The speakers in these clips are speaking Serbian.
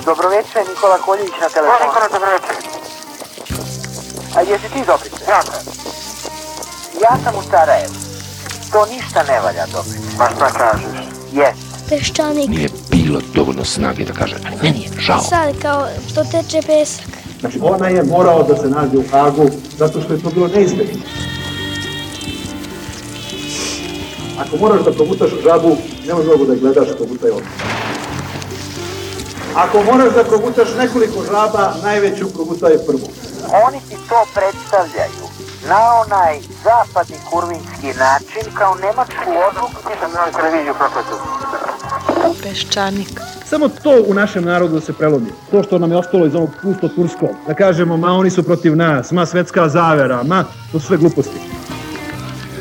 Dobroveče, Nikola Koljević na telefonu. Nikola, dobroveče. A jesi ti Dobrice? Ja sam. Ja sam u Sarajevu. To ništa ne valja, Dobrice. Pa šta kažeš? Jes. Peščanik. Nije bilo dovoljno snage da kaže, ali meni je žao. Sad kao to teče pesak. Znači ona je morao da se nađe u Hagu zato što je to bilo neizbježno. Ako moraš da progutaš žabu, nema mnogo da gledaš, progutaj ovdje. Ako moraš da progutaš nekoliko žaba, najveću progutaj prvu. Oni ti to predstavljaju na onaj zapadni kurvinski način kao nemačku odluku. Nisam na televiziju propratio. Peščanik. Samo to u našem narodu da se prelomi. To što nam je ostalo iz onog pusto turskog. Da kažemo, ma oni su protiv nas, ma svetska zavera, ma to su sve gluposti.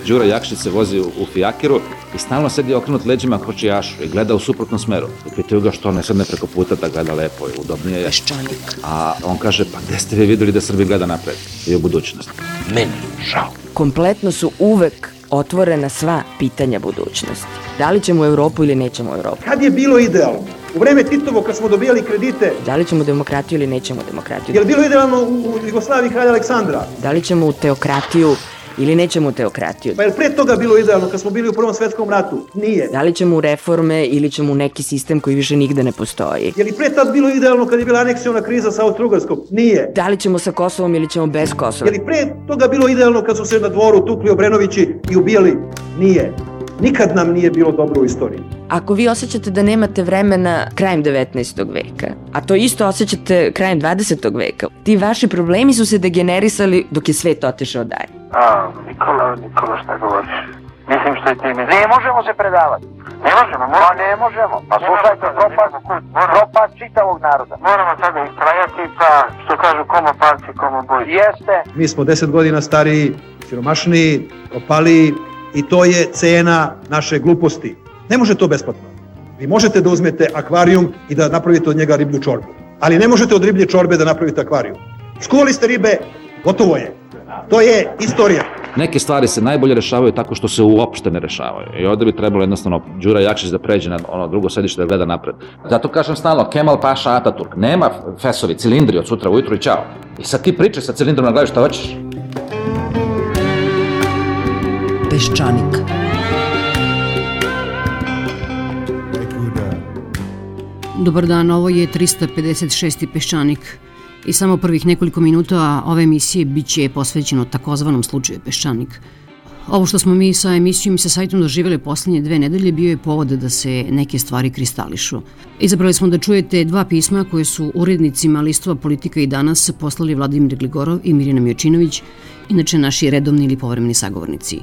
Đura Jakšić se vozi u fijakiru i stalno sedi okrenut leđima kočijašu i gleda u suprotnom smeru. I pitaju ga što ne sedne preko puta da gleda lepo i udobnije je. Peščanik. A on kaže, pa gde ste vi vidjeli da Srbi gleda napred i u budućnost? Meni je žao. Kompletno su uvek otvorena sva pitanja budućnosti. Da li ćemo u Evropu ili nećemo u Evropu? Kad je bilo idealno? U vreme Titovo kad smo dobijali kredite. Da li ćemo demokratiju ili nećemo demokratiju? Je li bilo idealno u Jugoslaviji kralja Aleksandra? Da li ćemo u teokratiju ili nećemo u teokratiju? Pa je li pre toga bilo idealno kad smo bili u Prvom svetskom ratu? Nije. Da li ćemo u reforme ili ćemo u neki sistem koji više nigde ne postoji? Je li pre tad bilo idealno kad je bila aneksiona kriza sa Austro-Ugarskom? Nije. Da li ćemo sa Kosovom ili ćemo bez Kosova? Je li pre toga bilo idealno kad su se na dvoru tukli Obrenovići i ubijali? Nije. Nikad nam nije bilo dobro u istoriji. Ako vi osjećate da nemate vremena krajem 19. veka, a to isto osjećate krajem 20. veka, ti vaši problemi su se degenerisali dok je svet otišao dalje. Nikola, šta govoriš? Mislim što je ti misliš. Ne možemo se predavati. Ne možemo, Pa ne možemo. Pa slušajte, propast čitavog naroda. Moramo sada istrajati, pa što kažu komo palci, komo boj. Jeste. Mi smo 10 godina stariji, siromašniji, propaliji i to je cena naše gluposti. Ne može to besplatno. Vi možete da uzmete akvarijum i da napravite od njega riblju čorbu. Ali ne možete od riblje čorbe da napravite akvarijum. Skuvali ste ribe, gotovo je. To je istorija. Neke stvari se najbolje rešavaju tako što se uopšte ne rešavaju. I ovdje bi trebalo jednostavno Đura Jakšić da pređe na ono drugo sedište da gleda napred. Zato kažem stalno, Kemal Paša Ataturk. Nema fesovi, cilindri od sutra ujutru i čao. I sad ti pričaj sa cilindrom na glavi šta hoćeš. Peščanik. Dobar dan, ovo je 356. Peščanik. I samo prvih nekoliko minuta ove emisije bit će posvećeno takozvanom slučaju Peščanik. Ovo što smo mi sa emisijom i sa sajtom doživjeli poslednje 2 nedelje bio je povod da se neke stvari kristališu. Izabrali smo da čujete 2 pisma koje su urednicima listova Politika i Danas poslali Vladimir Gligorov i Mirjana Miočinović, inače naši redovni ili povremeni sagovornici.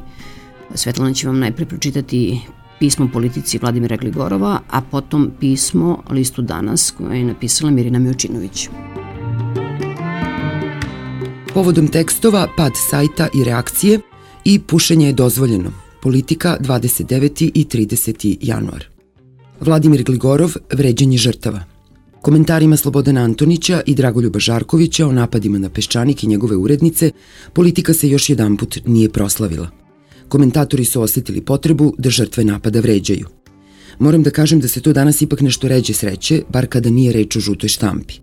Svetlana će vam najpre pročitati pismo Politici Vladimira Gligorova, a potom pismo listu Danas koje je napisala Mirjana Miočinović. Povodom tekstova, pad sajta i reakcije i pušenje je dozvoljeno. Politika 29. i 30. januar. Vladimir Gligorov, vređanje žrtava. Komentarima Slobodana Antonića i Dragoljuba Žarkovića o napadima na Peščanik i njegove urednice, Politika se još jedanput nije proslavila. Komentatori su osjetili potrebu da žrtve napada vređaju. Moram da kažem da se to danas ipak nešto ređe sreće, bar kada nije reč o žutoj štampi.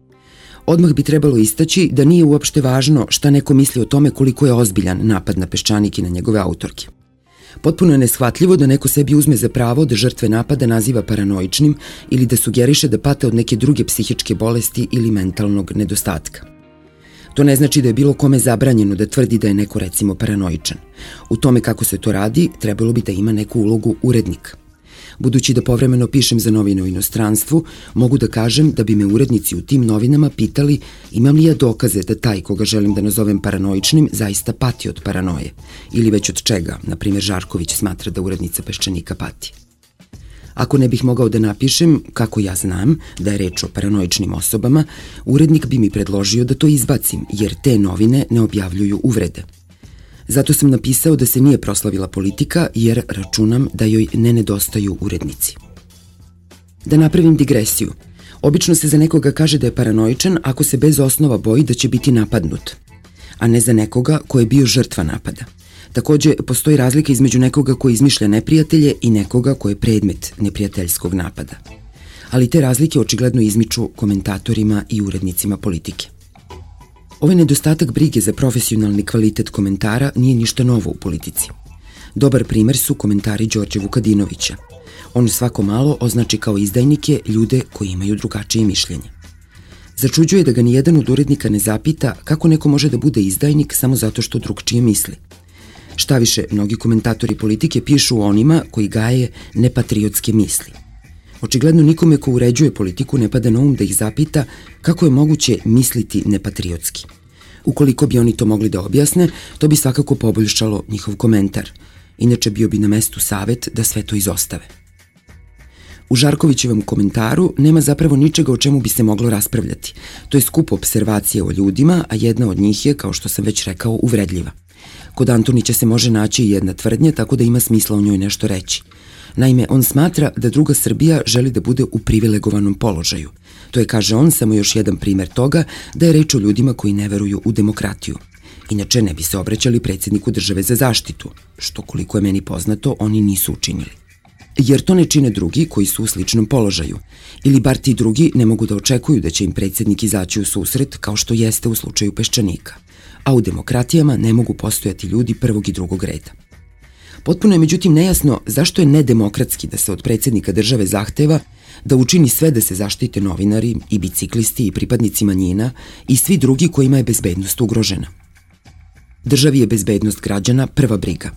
Odmah bi trebalo istaći da nije uopšte važno šta neko misli o tome koliko je ozbiljan napad na Peščanik i na njegove autorke. Potpuno je neshvatljivo da neko sebi uzme za pravo da žrtve napada naziva paranoičnim ili da sugeriše da pate od neke druge psihičke bolesti ili mentalnog nedostatka. To ne znači da je bilo kome zabranjeno da tvrdi da je neko recimo paranoičan. U tome kako se to radi, trebalo bi da ima neku ulogu urednika. Budući da povremeno pišem za novine u inostranstvu, mogu da kažem da bi me urednici u tim novinama pitali imam li ja dokaze da taj koga želim da nazovem paranoičnim zaista pati od paranoje. Ili već od čega, na primjer Žarković smatra da urednica Peščanika pati. Ako ne bih mogao da napišem, kako ja znam, da je reč o paranoičnim osobama, urednik bi mi predložio da to izbacim, jer te novine ne objavljuju uvrede. Zato sam napisao da se nije proslavila Politika, jer računam da joj ne nedostaju urednici. Da napravim digresiju. Obično se za nekoga kaže da je paranoičan ako se bez osnova boji da će biti napadnut, a ne za nekoga ko je bio žrtva napada. Takođe, postoji razlika između nekoga ko izmišlja neprijatelje i nekoga ko je predmet neprijateljskog napada. ali te razlike očigledno izmiču komentatorima i urednicima Politike. Ovaj nedostatak brige za profesionalni kvalitet komentara nije ništa novo u Politici. Dobar primer su komentari Đorđe Vukadinovića. On svako malo označi kao izdajnike ljude koji imaju drugačije mišljenje. Začuđuje da ga nijedan od urednika ne zapita kako neko može da bude izdajnik samo zato što drugčije misli. Štaviše, mnogi komentatori Politike pišu o onima koji gaje nepatriotske misli. Očigledno nikome ko uređuje Politiku ne pada na um da ih zapita kako je moguće misliti nepatriotski. Ukoliko bi oni to mogli da objasne, to bi svakako poboljšalo njihov komentar. Inače bio bi na mestu savet da sve to izostave. U Žarkovićevom komentaru nema zapravo ničega o čemu bi se moglo raspravljati. To je skup observacije o ljudima, a jedna od njih je, kao što sam već rekao, uvredljiva. Kod Antunića se može naći i jedna tvrdnja, tako da ima smisla o njoj nešto reći. Naime, on smatra da druga Srbija želi da bude u privilegovanom položaju. To je, kaže on, samo još jedan primer toga da je reč o ljudima koji ne veruju u demokratiju. Inače, ne bi se obraćali predsjedniku države za zaštitu, što, koliko je meni poznato, oni nisu učinili. Jer to ne čine drugi koji su u sličnom položaju. Ili bar ti drugi ne mogu da očekuju da će im predsjednik izaći u susret kao što jeste u slučaju Peščanika. A u demokratijama ne mogu postojati ljudi prvog i drugog reda. Potpuno je međutim nejasno zašto je nedemokratski da se od predsjednika države zahteva da učini sve da se zaštite novinari i biciklisti i pripadnici manjina i svi drugi kojima je bezbednost ugrožena. Državi je bezbednost građana prva briga.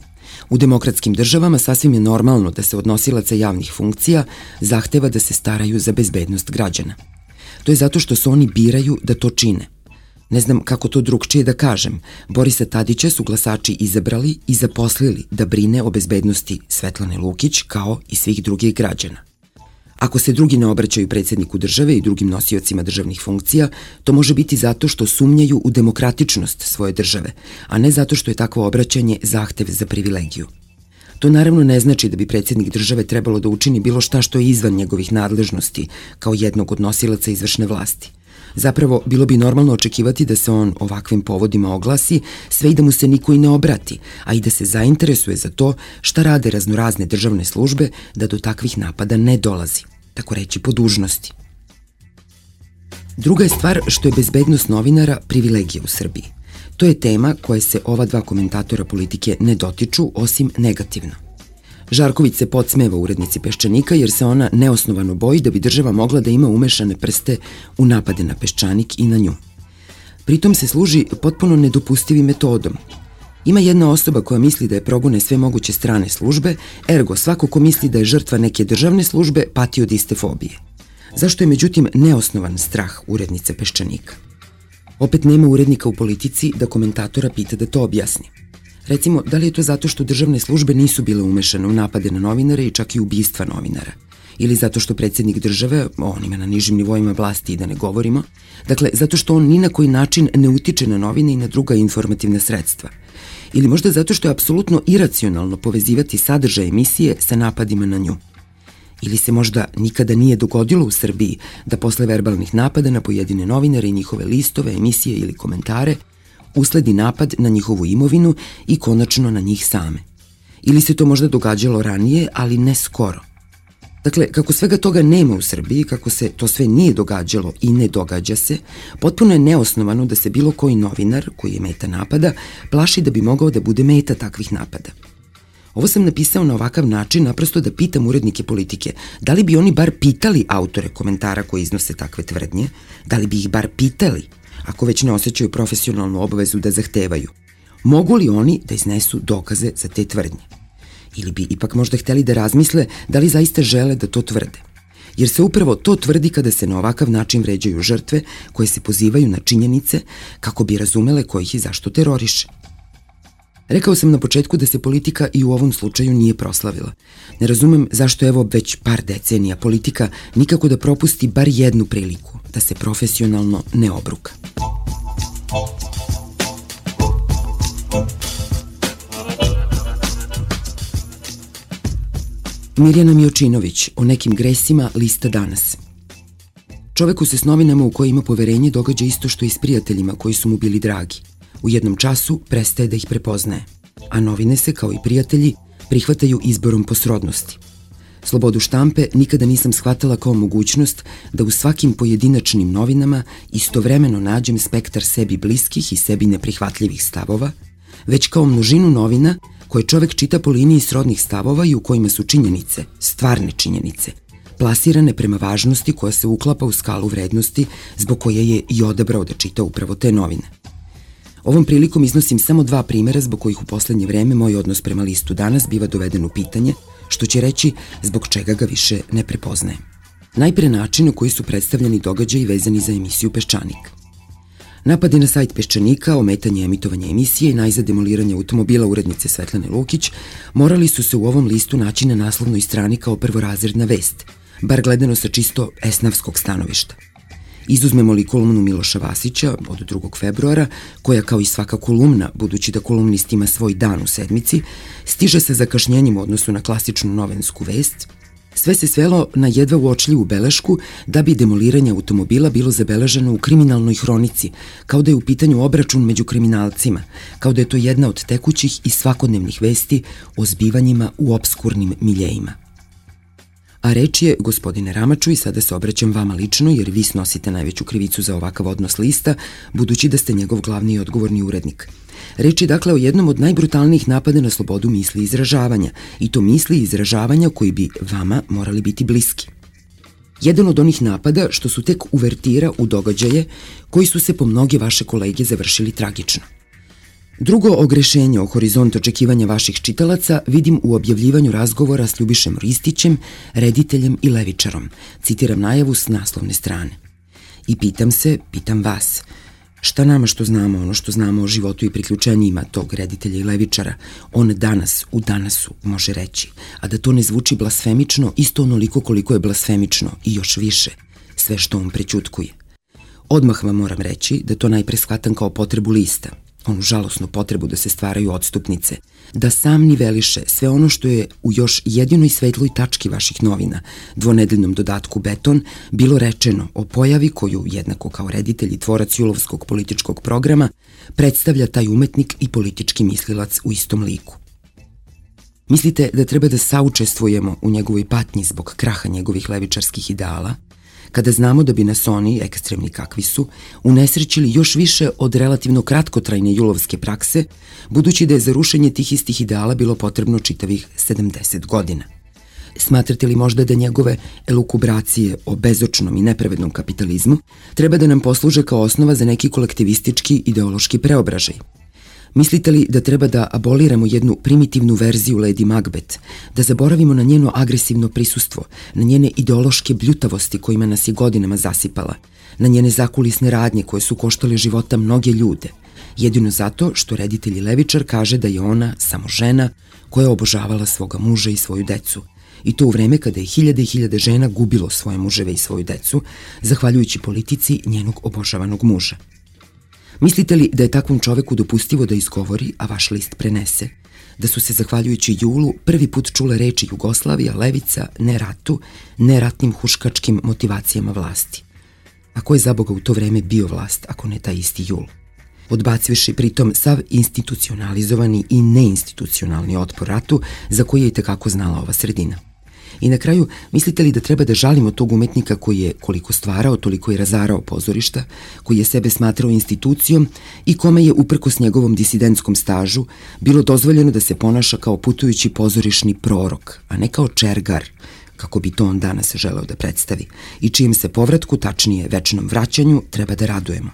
U demokratskim državama sasvim je normalno da se od nosilaca javnih funkcija zahteva da se staraju za bezbednost građana. To je zato što se oni biraju da to čine. Ne znam kako to drugčije da kažem. Borisa Tadića su glasači izabrali i zaposlili da brine o bezbednosti Svetlane Lukić kao i svih drugih građana. Ako se drugi ne obraćaju predsjedniku države i drugim nosiocima državnih funkcija, to može biti zato što sumnjaju u demokratičnost svoje države, a ne zato što je takvo obraćanje zahtev za privilegiju. To naravno ne znači da bi predsjednik države trebalo da učini bilo šta što je izvan njegovih nadležnosti, kao jednog od nosilaca izvršne vlasti. Zapravo, bilo bi normalno očekivati da se on ovakvim povodima oglasi, sve i da mu se niko i ne obrati, a i da se zainteresuje za to šta rade raznorazne državne službe da do takvih napada ne dolazi, tako reći po dužnosti. Druga je stvar što je bezbednost novinara privilegija u Srbiji. To je tema koje se ova dva komentatora Politike ne dotiču, osim negativno. Žarković se podsmeva urednici Peščanika jer se ona neosnovano boji da bi država mogla da ima umešane prste u napade na Peščanik i na nju. Pritom se služi potpuno nedopustivim metodom. Ima jedna osoba koja misli da je progone sve moguće strane službe, ergo svako ko misli da je žrtva neke državne službe pati od iste fobije. Zašto je međutim neosnovan strah urednice Peščanika? Opet nema urednika u Politici da komentatora pita da to objasni. Recimo, da li je to zato što državne službe nisu bile umešane u napade na novinare i čak i ubistva novinara? Ili zato što predsjednik države, o onima na nižim nivoima vlasti i da ne govorimo, dakle, zato što on ni na koji način ne utiče na novine i na druga informativna sredstva? Ili možda zato što je apsolutno iracionalno povezivati sadržaj emisije sa napadima na nju? Ili se možda nikada nije dogodilo u Srbiji da posle verbalnih napada na pojedine novinare i njihove listove, emisije ili komentare usledi napad na njihovu imovinu i konačno na njih same. Ili se to možda događalo ranije, ali ne skoro. Dakle, kako svega toga nema u Srbiji, kako se to sve nije događalo i ne događa se, potpuno je neosnovano da se bilo koji novinar koji je meta napada plaši da bi mogao da bude meta takvih napada. Ovo sam napisao na ovakav način naprosto da pitam urednike Politike da li bi oni bar pitali autore komentara koji iznose takve tvrdnje, da li bi ih bar pitali, ako već ne osjećaju profesionalnu obavezu da zahtevaju. Mogu li oni da iznesu dokaze za te tvrdnje? Ili bi ipak možda hteli da razmisle da li zaista žele da to tvrde? Jer se upravo to tvrdi kada se na ovakav način vređaju žrtve koje se pozivaju na činjenice kako bi razumele ko ih i zašto teroriše. Rekao sam na početku da se Politika i u ovom slučaju nije proslavila. Ne razumem zašto evo već par decenija Politika nikako da propusti bar jednu priliku da se profesionalno ne obruka. Mirjana Miočinović o nekim gresima lista Danas. Čoveku se s novinama u koje ima poverenje događa isto što i s prijateljima koji su mu bili dragi. U jednom času prestaje da ih prepoznaje, a novine se, kao i prijatelji, prihvataju izborom po srodnosti. Slobodu štampe nikada nisam shvatala kao mogućnost da u svakim pojedinačnim novinama istovremeno nađem spektar sebi bliskih i sebi neprihvatljivih stavova, već kao množinu novina koje čovek čita po liniji srodnih stavova i u kojima su činjenice, stvarne činjenice, plasirane prema važnosti koja se uklapa u skalu vrednosti zbog koje je i odabrao da čita upravo te novine. Ovom prilikom iznosim samo 2 primera zbog kojih u poslednje vreme moj odnos prema listu Danas biva doveden u pitanje, što će reći zbog čega ga više ne prepoznajem. Najpre način u koji su predstavljeni događaji vezani za emisiju Peščanik. Napadi na sajt Peščanika, ometanje emitovanja emisije i najzad demoliranje automobila urednice Svetlane Lukić morali su se u ovom listu naći na naslovnoj strani kao prvorazredna vest, bar gledano sa čisto esnavskog stanovišta. Izuzmemo li kolumnu Miloša Vasića od 2. februara, koja kao i svaka kolumna, budući da kolumnist ima svoj dan u sedmici, stiže sa zakašnjenjem u odnosu na klasičnu novinsku vest, sve se svelo na jedva uočljivu belešku da bi demoliranje automobila bilo zabeleženo u kriminalnoj hronici, kao da je u pitanju obračun među kriminalcima, kao da je to jedna od tekućih i svakodnevnih vesti o zbivanjima u opskurnim miljejima. A reč je, gospodine Ramaču, i sada se obraćam vama lično, jer vi snosite najveću krivicu za ovakav odnos lista, budući da ste njegov glavni i odgovorni urednik. Reč je dakle o jednom od najbrutalnijih napada na slobodu misli i izražavanja, i to misli i izražavanja koji bi vama morali biti bliski. Jedan od onih napada što su tek uvertira u događaje koji su se po mnoge vaše kolege završili tragično. Drugo ogrešenje o horizont očekivanja vaših čitalaca vidim u objavljivanju razgovora s Ljubišem Ristićem, rediteljem i levičarom, citiram najavu s naslovne strane. I pitam vas, šta nama što znamo ono što znamo o životu i priključenjima tog reditelja i levičara, on danas, u Danasu, može reći, a da to ne zvuči blasfemično, isto onoliko koliko je blasfemično i još više, sve što on prećutkuje. Odmah vam moram reći da to najpre shvatam kao potrebu lista, onu žalosnu potrebu da se stvaraju odstupnice, da sam niveliše sve ono što je u još jedinoj svetloj tački vaših novina, dvonedeljnom dodatku Beton, bilo rečeno o pojavi koju, jednako kao reditelj i tvorac julovskog političkog programa, predstavlja taj umetnik i politički mislilac u istom liku. Mislite da treba da saučestvujemo u njegovoj patnji zbog kraha njegovih levičarskih ideala, kada znamo da bi nas oni, ekstremni kakvi su, unesrećili još više od relativno kratkotrajne julovske prakse, budući da je za rušenje tih istih ideala bilo potrebno čitavih 70 godina. Smatrate li možda da njegove elukubracije o bezočnom i nepravednom kapitalizmu treba da nam posluže kao osnova za neki kolektivistički ideološki preobražaj? Mislite li da treba da aboliramo jednu primitivnu verziju Lady Macbeth, da zaboravimo na njeno agresivno prisustvo, na njene ideološke bljutavosti kojima nas je godinama zasipala, na njene zakulisne radnje koje su koštale života mnoge ljude, jedino zato što reditelj i levičar kaže da je ona samo žena koja je obožavala svoga muža i svoju decu, i to u vreme kada je hiljade i hiljade žena gubilo svoje muževe i svoju decu, zahvaljujući politici njenog obožavanog muža. Mislite li da je takvom čoveku dopustivo da izgovori, a vaš list prenese, da su se zahvaljujući Julu prvi put čule reči Jugoslavija, levica, ne ratu, ne ratnim huškačkim motivacijama vlasti? A ko je za Boga u to vreme bio vlast, ako ne taj isti Jul? Odbacivši pritom sav institucionalizovani i neinstitucionalni otpor ratu za koji je i tekako znala ova sredina. I na kraju, mislite li da treba da žalimo tog umetnika koji je koliko stvarao, toliko i razarao pozorišta, koji je sebe smatrao institucijom i kome je, uprkos njegovom disidentskom stažu, bilo dozvoljeno da se ponaša kao putujući pozorišni prorok, a ne kao čergar, kako bi to on danas želeo da predstavi, i čijem se povratku, tačnije večnom vraćanju, treba da radujemo.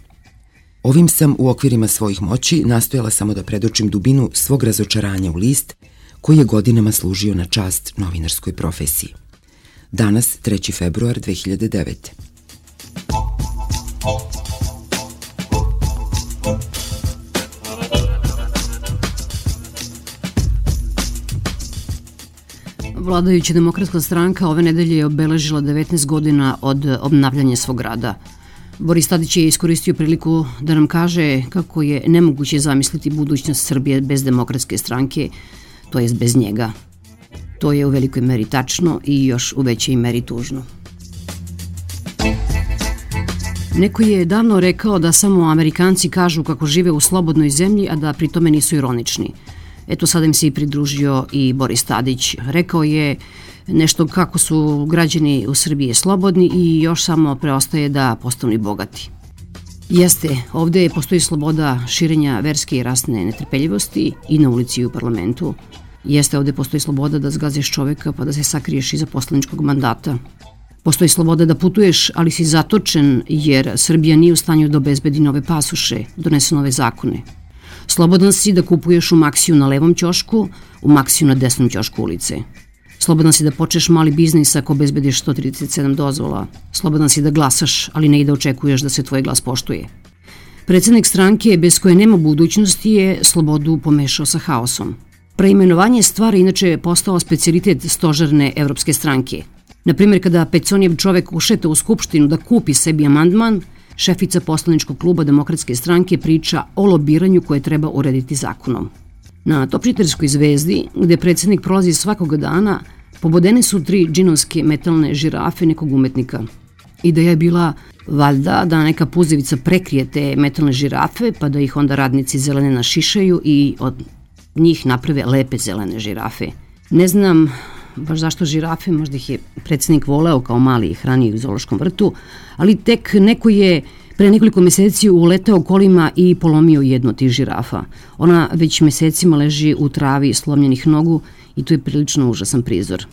Ovim sam u okvirima svojih moći nastojala samo da predočim dubinu svog razočaranja u list, koji je godinama služio na čast novinarskoj profesiji. Danas, 3. februar 2009. Vladajuća demokratska stranka ove nedelje je obeležila 19 godina od obnavljanja svog rada. Boris Tadić je iskoristio priliku da nam kaže kako je nemoguće zamisliti budućnost Srbije bez demokratske stranke, to jest bez njega. To je u velikoj meri tačno i još u većoj meri tužno. Neko je davno rekao da samo Amerikanci kažu kako žive u slobodnoj zemlji, a da pri tome nisu ironični. Eto, sada im se i pridružio i Boris Tadić. Rekao je nešto kako su građani u Srbiji slobodni i još samo preostaje da postanu i bogati. Jeste, ovde postoji sloboda širenja verske i rasne netrpeljivosti i na ulici i u parlamentu. Jeste, ovde postoji sloboda da zgaziš čoveka pa da se sakriješ iza poslaničkog mandata. Postoji sloboda da putuješ, ali si zatočen jer Srbija nije u stanju da obezbedi nove pasoše, donese nove zakone. Slobodan si da kupuješ u Maksiju na levom ćošku, u Maksiju na desnom ćošku ulice. Slobodan si da počneš mali biznis ako obezbediš 137 dozvola. Slobodan si da glasaš, ali ne i da očekuješ da se tvoj glas poštuje. Predsednik stranke bez koje nema budućnosti je slobodu pomešao sa haosom. Preimenovanje stvari inače je postao specijalitet stožerne evropske stranke. Naprimjer, kada Peconijev čovek ušeta u skupštinu da kupi sebi amandman, šefica poslaničkog kluba Demokratske stranke priča o lobiranju koje treba urediti zakonom. Na Topčiderskoj zvezdi, gde predsednik prolazi svakoga dana, pobodene su 3 džinovske metalne žirafe nekog umetnika. Ideja je bila valjda da neka puzevica prekrije te metalne žirafe, pa da ih onda radnici zelene našišaju i od njih naprave lepe zelene žirafe. Ne znam baš zašto žirafe, možda ih je predsednik voleo kao mali i hranio u zoološkom vrtu, ali tek neko je pre nekoliko meseci uleteo kolima i polomio jednu od tih žirafa. Ona već mesecima leži u travi slomljenih nogu i to je prilično užasan prizor.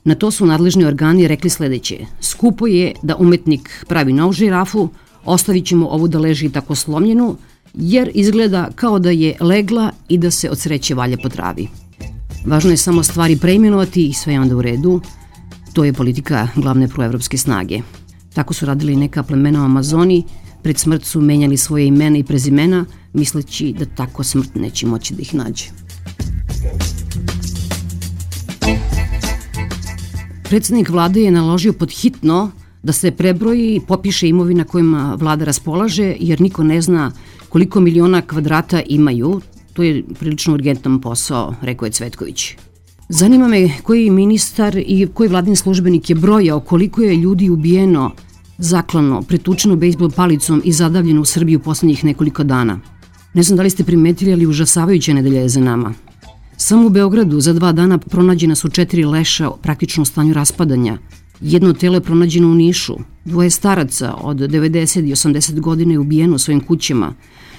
Na to su nadležni organi rekli sledeće: skupo je da umetnik pravi novu žirafu, ostavit ćemo ovu da leži tako slomljenu, jer izgleda kao da je legla i da se od sreće valja po travi. Važno je samo stvari preimenovati i sve je onda u redu. To je politika glavne proevropske snage. Tako su radili neka plemena u Amazoni, pred smrt su menjali svoje imena i prezimena, misleći da tako smrt neće moći da ih nađe. Predsednik vlade je naložio pod hitno da se prebroji i popiše imovina kojima vlada raspolaže, jer niko ne zna koliko miliona kvadrata imaju. To je prilično urgentan posao, rekao je Cvetković. Zanima me koji ministar i koji vladin službenik je brojao koliko je ljudi ubijeno, zaklano, pretučeno bejsbol palicom i zadavljeno u Srbiji u poslednjih nekoliko dana. Ne znam da li ste primetili, ali užasavajuća nedelja je za nama. Samo u Beogradu za 2 dana pronađena su 4 leša praktično u stanju raspadanja. Jedno telo je pronađeno u Nišu. 2 staraca od 90 i 80 godina je ubijeno u svojim kućama.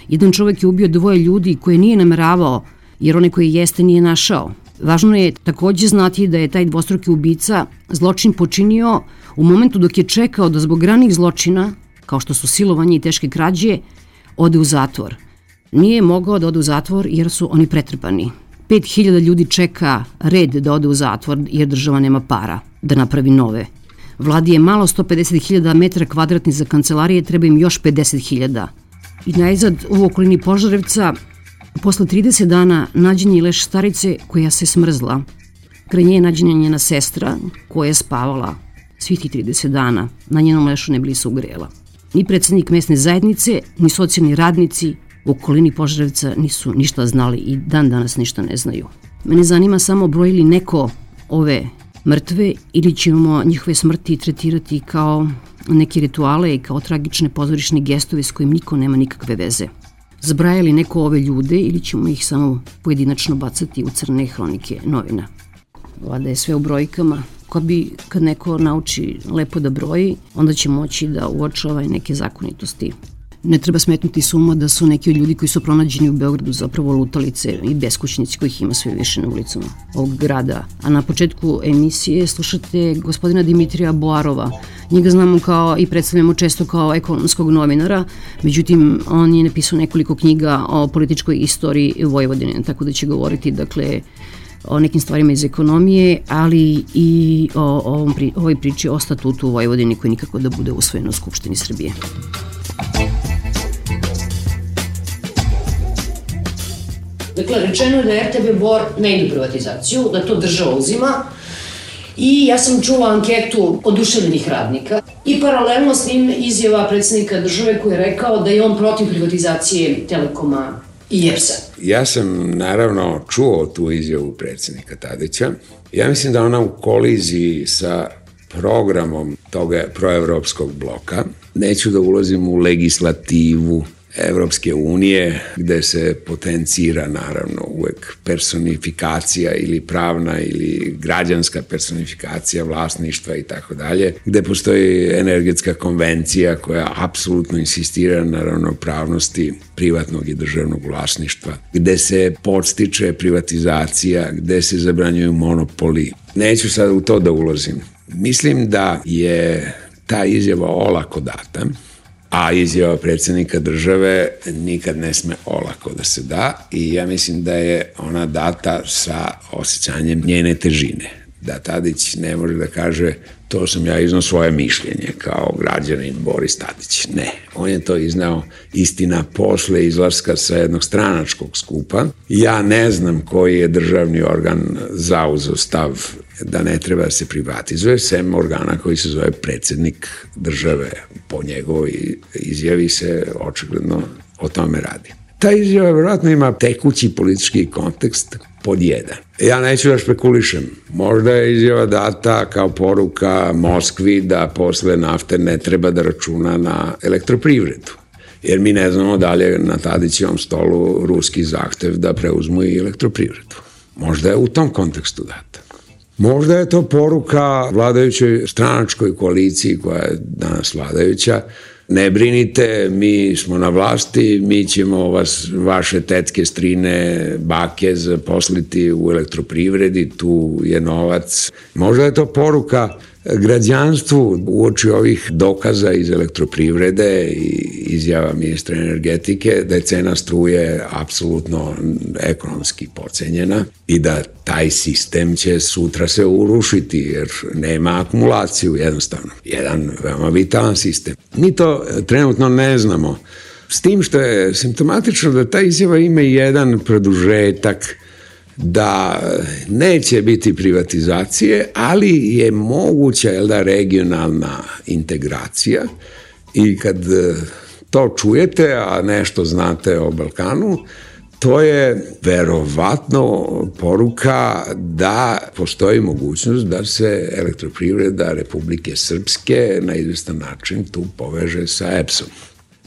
Jedan čovek je ubio 2 ljudi koje nije nameravao, jer one koje jeste nije našao. Važno je takođe znati da je taj dvostruki ubica zločin počinio u momentu dok je čekao da zbog ranih zločina, kao što su silovanje i teške krađe, ode u zatvor. Nije mogao da ode u zatvor jer su oni pretrpani. 5000 ljudi čeka red da ode u zatvor jer država nema para da napravi nove. Vladi je malo 150.000 metara kvadratnih za kancelarije, treba im još 50.000. I najzad u okolini Požarevca, posle 30 dana nađen je leš starice koja se smrzla. Kraj nje je nađena njena sestra koja je spavala svih tih 30 dana. Na njenom lešu ne bili se ugrela. Ni predsednik mesne zajednice, ni socijalni radnici u okolini Požarevca nisu ništa znali i dan danas ništa ne znaju. Mene zanima samo broj li neko ove mrtve ili ćemo njihove smrti tretirati kao neke rituale i kao tragične pozorišne gestove s kojim niko nema nikakve veze. Zbraja li neko ove ljude ili ćemo ih samo pojedinačno bacati u crne hronike novina? Vlada je sve u brojkama. Kad neko nauči lepo da broji, onda će moći da uočava i neke zakonitosti. Ne treba smetnuti suma da su neki od ljudi koji su pronađeni u Beogradu zapravo lutalice i beskućnici kojih ima sve više na ulicama ovog grada. A na početku emisije slušate gospodina Dimitrija Boarova. Njega znamo kao i predstavljamo često kao ekonomskog novinara, međutim on je napisao nekoliko knjiga o političkoj istoriji Vojvodine, tako da će govoriti o nekim stvarima iz ekonomije, ali i o ovoj priči o statutu u Vojvodini koji nikako da bude usvojen u Skupštini Srbije. Dakle, rečeno je da RTB Bor ne ide u privatizaciju, da to država uzima i ja sam čula anketu oduševljenih radnika i paralelno s njim izjava predsednika države koji je rekao da je on protiv privatizacije Telekoma i EPS-a. Ja sam naravno čuo tu izjavu predsednika Tadića. Ja mislim da ona u koliziji sa programom toga proevropskog bloka. Neću da ulazim u legislativu Evropske unije, gde se potencira naravno uvek personifikacija ili pravna ili građanska personifikacija vlasništva i tako dalje, gde postoji energetska konvencija koja apsolutno insistira na ravnopravnosti privatnog i državnog vlasništva, gde se podstiče privatizacija, gde se zabranjuju monopoli. Neću sad u to da ulazim. Mislim da je ta izjava olako data, a izjava predsjednika države nikad ne sme olako da se da i ja mislim da je ona data sa osjećanjem njene težine. Da Tadić ne može da kaže to sam ja iznao svoje mišljenje kao građanin Boris Tadić. Ne, on je to iznao istina posle izlaska sa jednog stranačkog skupa. Ja ne znam koji je državni organ zauzeo stav da ne treba da se privatizuje, sem organa koji se zove predsjednik države. Po njegovoj izjavi se očigledno o tome radi. Ta izjava vjerojatno ima tekući politički kontekst pod jedan. Ja neću da špekulišem. Možda je izjava data kao poruka Moskvi da posle nafte ne treba da računa na elektroprivredu. Jer mi ne znamo da li je na Tadićevom stolu ruski zahtev da preuzmu i elektroprivredu. Možda je u tom kontekstu data. Možda je to poruka vladajućoj stranačkoj koaliciji koja je danas vladajuća. Ne brinite, mi smo na vlasti, mi ćemo vaše tetke, strine, bake zaposliti u elektroprivredi, tu je novac. Možda je to poruka građanstvu uoči ovih dokaza iz elektroprivrede i izjava ministra energetike da je cena struje apsolutno ekonomski pocenjena i da taj sistem će sutra se urušiti jer nema akumulaciju jednostavno. Jedan veoma vitalan sistem. Mi to trenutno ne znamo. S tim što je simptomatično da ta izjava ima jedan produžetak da neće biti privatizacije, ali je moguća regionalna integracija i kad to čujete, a nešto znate o Balkanu, to je verovatno poruka da postoji mogućnost da se elektroprivreda Republike Srpske na izvestan način tu poveže sa EPS-om.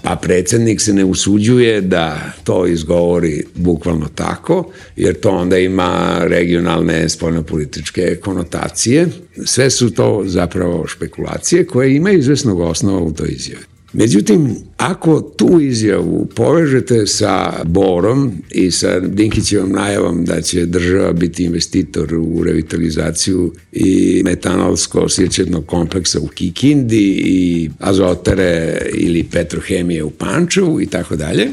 Pa predsjednik se ne usuđuje da to izgovori bukvalno tako, jer to onda ima regionalne spoljnopolitičke konotacije. Sve su to zapravo špekulacije koje imaju izvesnog osnova u toj izjavi. Međutim, ako tu izjavu povežete sa Borom i sa Dinkićevom najavom da će država biti investitor u revitalizaciju i metanolsko-sjećetnog kompleksa u Kikindi i azotere ili petrohemije u Pančevu i tako dalje,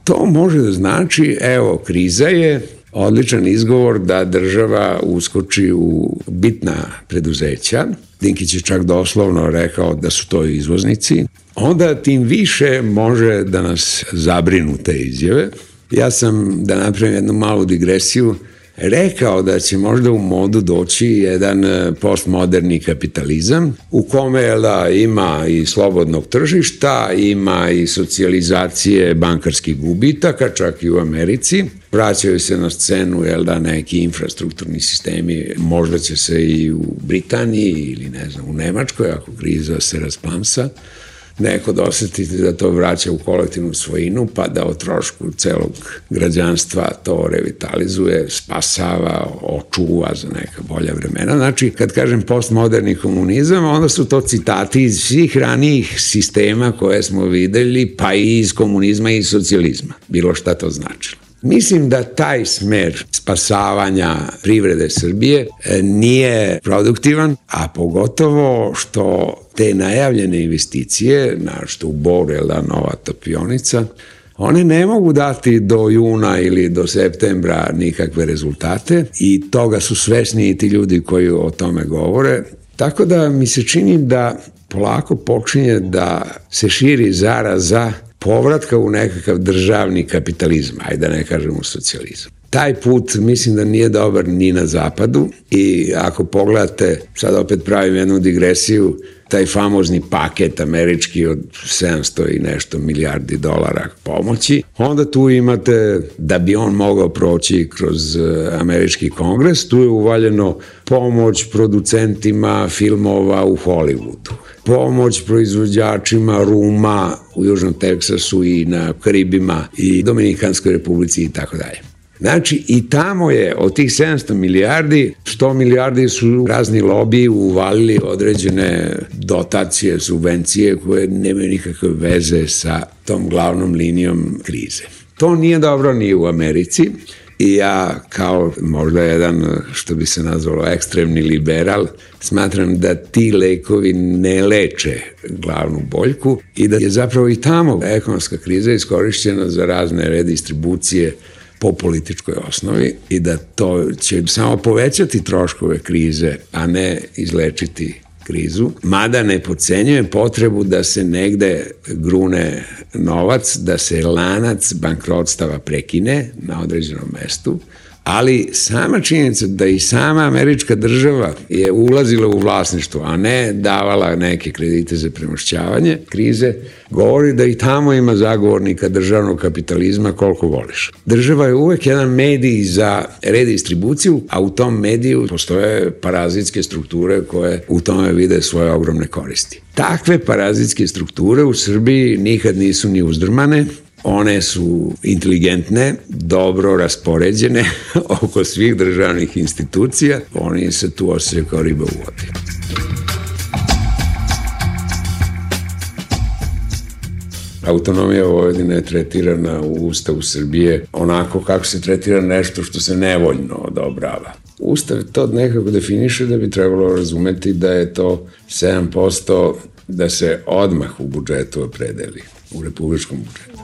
to može da znači, evo, kriza je odličan izgovor da država uskoči u bitna preduzeća. Dinkić je čak doslovno rekao da su to izvoznici. Onda tim više može da nas zabrinu te izjave. Ja sam, da napravim jednu malu digresiju, rekao da će možda u modu doći jedan postmoderni kapitalizam u kome ima i slobodnog tržišta, ima i socijalizacije bankarskih gubitaka, čak i u Americi. Vraćaju se na scenu neki infrastrukturni sistemi, možda će se i u Britaniji ili ne znam, u Nemačkoj, ako kriza se rasplamsa, neko da osetite da to vraća u kolektivnu svojinu, pa da o trošku celog građanstva to revitalizuje, spasava, očuva za neka bolja vremena. Znači, kad kažem postmoderni komunizam, onda su to citati iz svih ranijih sistema koje smo videli, pa i iz komunizma i iz socijalizma. Bilo šta to značilo. Mislim da taj smer spasavanja privrede Srbije nije produktivan, a pogotovo što te najavljene investicije, što u Boru je nova topionica, one ne mogu dati do juna ili do septembra nikakve rezultate i toga su svesni i ti ljudi koji o tome govore. Tako da mi se čini da polako počinje da se širi zaraza povratka u nekakav državni kapitalizam, ajde da ne kažemo socijalizam. taj put mislim da nije dobar ni na zapadu i ako pogledate, sad opet pravim jednu digresiju, taj famozni paket američki od 700 i nešto milijardi dolara pomoći, onda tu imate, da bi on mogao proći kroz američki kongres, tu je uvaljeno pomoć producentima filmova u Hollywoodu, pomoć proizvođačima ruma u Južnom Teksasu i na Karibima i Dominikanskoj republici i tako dalje. Znači, i tamo je od tih 700 milijardi, 100 milijardi su razni lobiji uvalili određene dotacije, subvencije koje nemaju nikakve veze sa tom glavnom linijom krize. To nije dobro ni u Americi i ja kao možda jedan, što bi se nazvalo, ekstremni liberal, smatram da ti lekovi ne leče glavnu boljku i da je zapravo i tamo ekonomska kriza iskorišćena za razne redistribucije po političkoj osnovi i da to će samo povećati troškove krize, a ne izlečiti krizu, mada ne podcenjujem potrebu da se negde grune novac, da se lanac bankrotstava prekine na određenom mestu, ali sama činjenica da i sama američka država je ulazila u vlasništvo, a ne davala neke kredite za premošćavanje krize, govori da i tamo ima zagovornika državnog kapitalizma koliko voliš. Država je uvek jedan medij za redistribuciju, a u tom mediju postoje parazitske strukture koje u tome vide svoje ogromne koristi. Takve parazitske strukture u Srbiji nikad nisu ni uzdrmane. One su inteligentne, dobro raspoređene oko svih državnih institucija. Oni se tu osjećaju kao riba u vodi. Autonomija Vojvodine je tretirana u Ustavu Srbije onako kako se tretira nešto što se nevoljno odobrava. Ustav to nekako definiše da bi trebalo razumeti da je to 7% da se odmah u budžetu opredeli, u republičkom budžetu.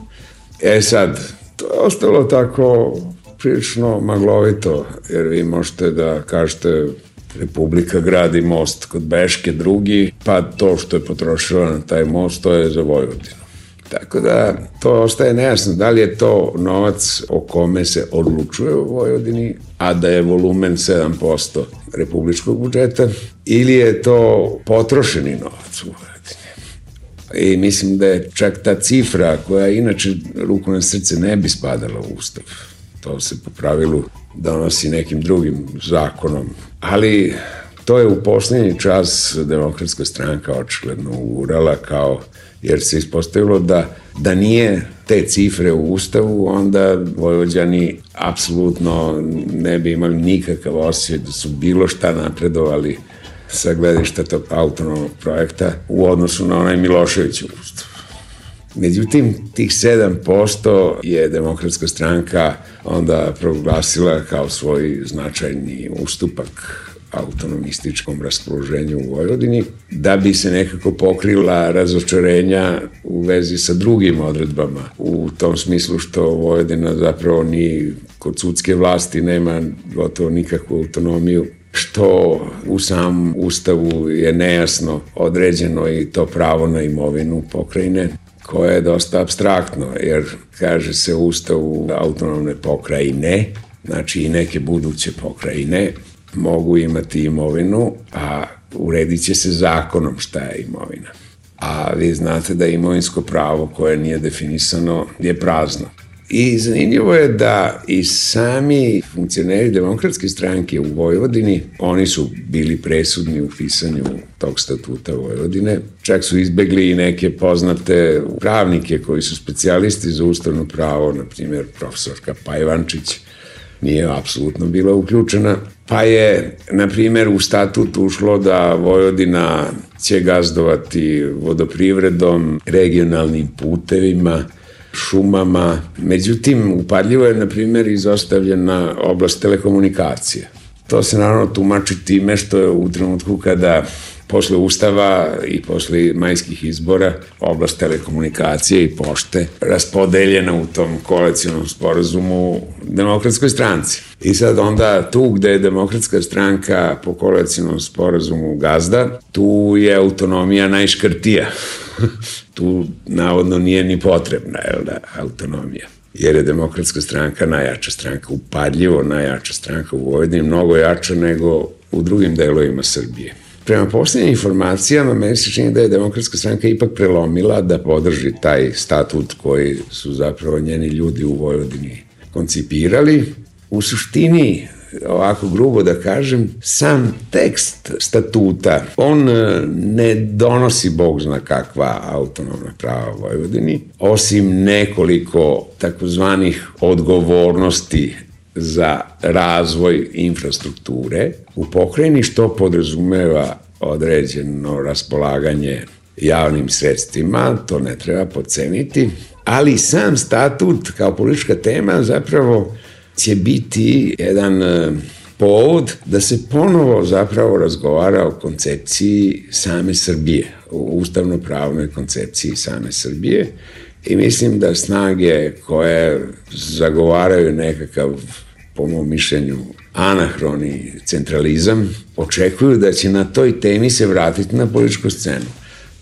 Sad, to je ostalo tako prilično maglovito, jer vi možete da kažete Republika gradi most kod Beške drugi, pa to što je potrošila na taj most, to je za Vojvodinu. Tako da to ostaje nejasno, da li je to novac o kome se odlučuje u Vojvodini, a da je volumen 7% republičkog budžeta, ili je to potrošeni novac u Vojvodini. I mislim da je čak ta cifra koja inače ruku na srce ne bi spadala u Ustav. To se po pravilu donosi nekim drugim zakonom. Ali to je u poslednji čas Demokratska stranka očigledno ugurala kao, jer se ispostavilo da nije te cifre u Ustavu, onda Vojvođani apsolutno ne bi imali nikakav osjećaj da su bilo šta napredovali sa gledišta tog autonomnog projekta u odnosu na onaj Miloševićev ustav. Međutim, tih 7% je Demokratska stranka onda proglasila kao svoj značajni ustupak autonomističkom raspoloženju u Vojvodini, da bi se nekako pokrila razočarenja u vezi sa drugim odredbama, u tom smislu što Vojvodina zapravo ni kod sudske vlasti nema gotovo nikakvu autonomiju, što u samom Ustavu je nejasno određeno i to pravo na imovinu pokrajine, koje je dosta apstraktno, jer kaže se u Ustavu autonomne pokrajine, znači i neke buduće pokrajine, mogu imati imovinu, a uredit će se zakonom šta je imovina. A vi znate da imovinsko pravo koje nije definisano je prazno. I zanimljivo je da i sami funkcioneri Demokratske stranke u Vojvodini, oni su bili presudni u pisanju tog statuta Vojvodine, čak su izbegli i neke poznate pravnike koji su specijalisti za ustavno pravo, na primjer profesorka Pajvančić, nije apsolutno bila uključena, pa je, na primjer, u statut ušlo da Vojvodina će gazdovati vodoprivredom, regionalnim putevima, šumama. Međutim, upadljivo je, na primjer, izostavljena oblast telekomunikacije. To se naravno tumači time što je u trenutku kada posle Ustava i posle majskih izbora oblast telekomunikacije i pošte raspodeljena u tom koalicionom sporazumu Demokratskoj stranci. I sad onda tu gde je Demokratska stranka po koalicionom sporazumu gazda, tu je autonomija najškrtija. Tu navodno nije ni potrebna autonomija. jer je Demokratska stranka najjača stranka, upadljivo najjača stranka u Vojvodini, mnogo jača nego u drugim delovima Srbije. Prema posljednjim informacijama, meni se čini da je Demokratska stranka ipak prelomila da podrži taj statut koji su zapravo njeni ljudi u Vojvodini koncipirali. U suštini, ovako grubo da kažem, sam tekst statuta, on ne donosi bog zna kakva autonomna prava Vojvodini, osim nekoliko takozvanih odgovornosti za razvoj infrastrukture u pokrajini, što podrazumeva određeno raspolaganje javnim sredstvima, to ne treba podceniti, ali sam statut kao politička tema zapravo će biti jedan povod da se ponovo zapravo razgovara o koncepciji same Srbije, o ustavno-pravnoj koncepciji same Srbije, i mislim da snage koje zagovaraju nekakav, po mom mišljenju, anahroni centralizam, očekuju da će na toj temi se vratiti na političku scenu.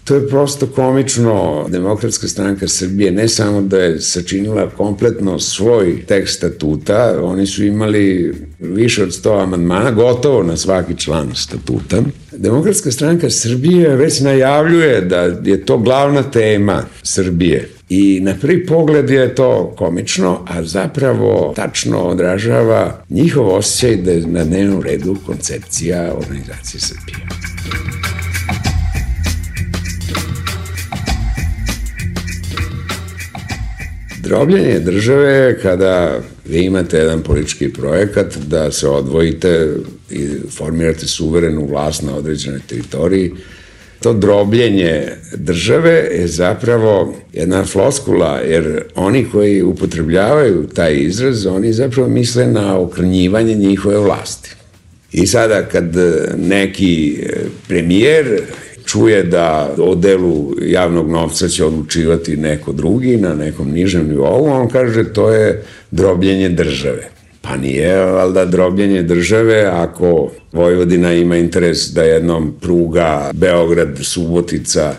To je prosto komično. Demokratska stranka Srbije ne samo da je sačinila kompletno svoj tekst statuta, oni su imali više od 100 amandmana, gotovo na svaki član statuta. Demokratska stranka Srbije već najavljuje da je to glavna tema Srbije. I na prvi pogled je to komično, a zapravo tačno odražava njihov osjećaj da je na dnevnom redu koncepcija organizacije Srbije. Drobljenje države kada vi imate jedan politički projekat da se odvojite i formirate suverenu vlast na određenoj teritoriji, to drobljenje države je zapravo jedna floskula, jer oni koji upotrebljavaju taj izraz, oni zapravo misle na okrnjivanje njihove vlasti. I sada kad neki premijer čuje da o delu javnog novca će odlučivati neko drugi na nekom nižem nivou, on kaže to je drobljenje države. Pa nije valjda drobljenje države ako Vojvodina ima interes da jednom pruga Beograd-Subotica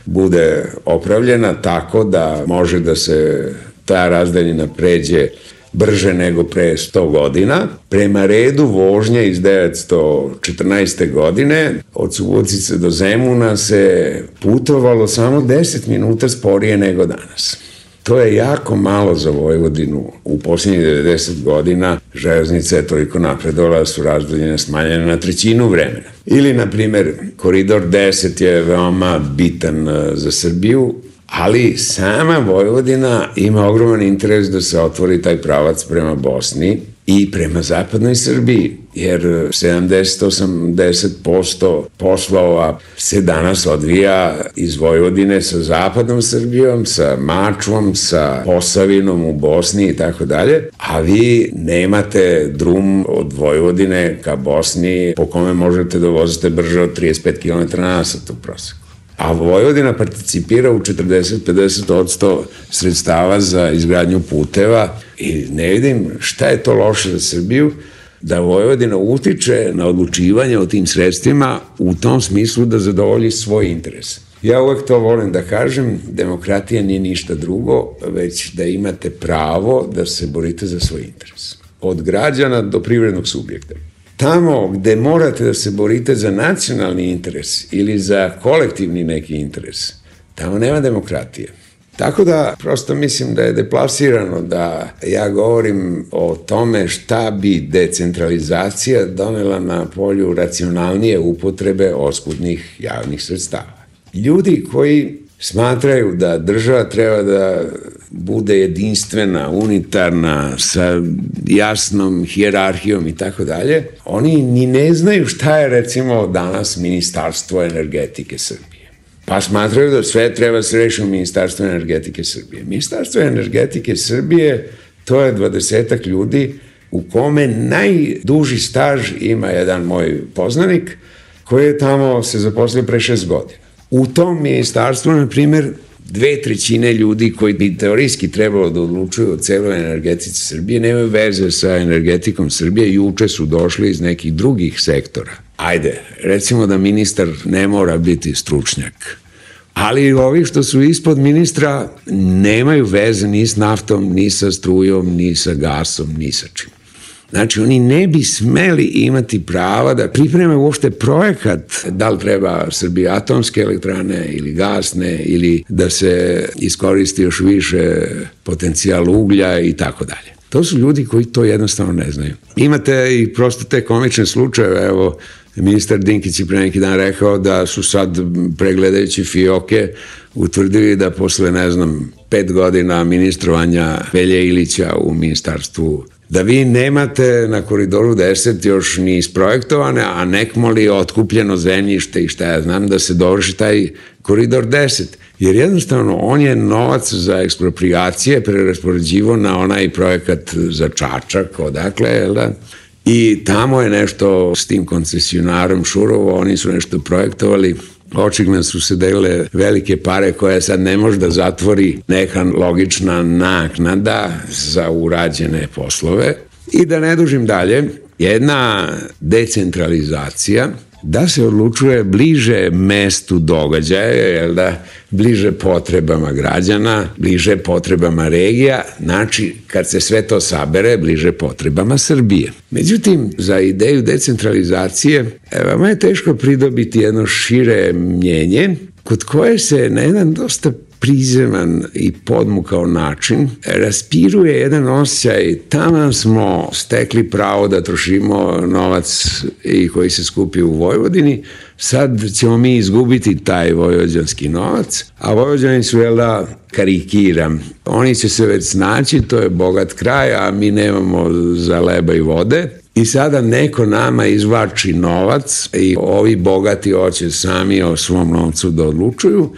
bude opravljena tako da može da se ta razdaljina pređe brže nego pre 100 godina. Prema redu vožnje iz 1914. godine od Subotice do Zemuna se putovalo samo 10 minuta sporije nego danas. To je jako malo za Vojvodinu. U posljednjih 90 godina železnica je toliko napredovala da su razdaljine smanjene na 1/3 vremena. Ili, na primer, koridor 10 je veoma bitan za Srbiju, ali sama Vojvodina ima ogroman interes da se otvori taj pravac prema Bosni i prema zapadnoj Srbiji, jer 70-80% poslova se danas odvija iz Vojvodine sa zapadnom Srbijom, sa Mačvom, sa Posavinom u Bosni i tako dalje, a vi nemate drum od Vojvodine ka Bosni po kome možete da vozite brže od 35 km/h u proseku. A Vojvodina participira u 40-50% sredstava za izgradnju puteva i ne vidim šta je to loše za Srbiju da Vojvodina utiče na odlučivanje o tim sredstvima u tom smislu da zadovolji svoj interes. Ja uvek to volim da kažem, demokratija nije ništa drugo, već da imate pravo da se borite za svoj interes. Od građana do privrednog subjekta. Tamo gde morate da se borite za nacionalni interes ili za kolektivni neki interes, tamo nema demokratije. Tako da, prosto mislim da je deplasirano da ja govorim o tome šta bi decentralizacija donela na polju racionalnije upotrebe oskudnih javnih sredstava. Ljudi koji smatraju da država treba da bude jedinstvena, unitarna, sa jasnom hijerarhijom i tako dalje, oni ni ne znaju šta je recimo danas Ministarstvo energetike Srbije. Pa smatraju da sve treba se reši u Ministarstvu energetike Srbije. Ministarstvo energetike Srbije to je 20-ak ljudi u kome najduži staž ima jedan moj poznanik koji je tamo se zaposlio pre 6 godina. U tom ministarstvu, na primjer, 2/3 ljudi koji bi teorijski trebalo da odlučuju o celoj energetici Srbije nemaju veze sa energetikom Srbije, juče su došli iz nekih drugih sektora. Ajde, recimo da ministar ne mora biti stručnjak, Ali ovi što su ispod ministra nemaju veze ni s naftom, ni sa strujom, ni sa gasom, ni sa čim. Znači, oni ne bi smeli imati prava da pripreme uopšte projekat, da li treba Srbije atomske elektrane ili gasne, ili da se iskoristi još više potencijal uglja i tako dalje. To su ljudi koji to jednostavno ne znaju. Imate i prosto te komične slučajeve, evo, ministar Dinkić je pre neki dan rekao da su sad, pregledajući fioke, utvrdili da posle, 5 godina ministrovanja Velje Ilića u ministarstvu, da vi nemate na Koridoru 10 još ni isprojektovane, a nekmoli otkupljeno zemljište i šta ja znam, da se dovrši taj Koridor 10. Jer jednostavno on je novac za ekspropriacije preraspoređivo na onaj projekat za Čačak, odakle, jel da? I tamo je nešto s tim koncesionarom Šurovo, oni su nešto projektovali, očigledno su se delile velike pare koje sad ne može da zatvori neka logična naknada za urađene poslove. I da ne dužim dalje, jedna decentralizacija da se odlučuje bliže mestu događaja, jel da, bliže potrebama građana, bliže potrebama regija, znači kad se sve to sabere, bliže potrebama Srbije. Međutim, za ideju decentralizacije vama je teško pridobiti jedno šire mnjenje, kod koje se na jedan dosta prizeman i podmukao način raspiruje jedan osjećaj, tamo smo stekli pravo da trošimo novac i koji se skupi u Vojvodini, sad ćemo mi izgubiti taj vojvođanski novac, a Vojvođani su, jel da, karikiram, oni će se već snaći, to je bogat kraj, a mi nemamo za leba i vode. I sada neko nama izvlači novac i ovi bogati hoće sami o svom novcu da odlučuju,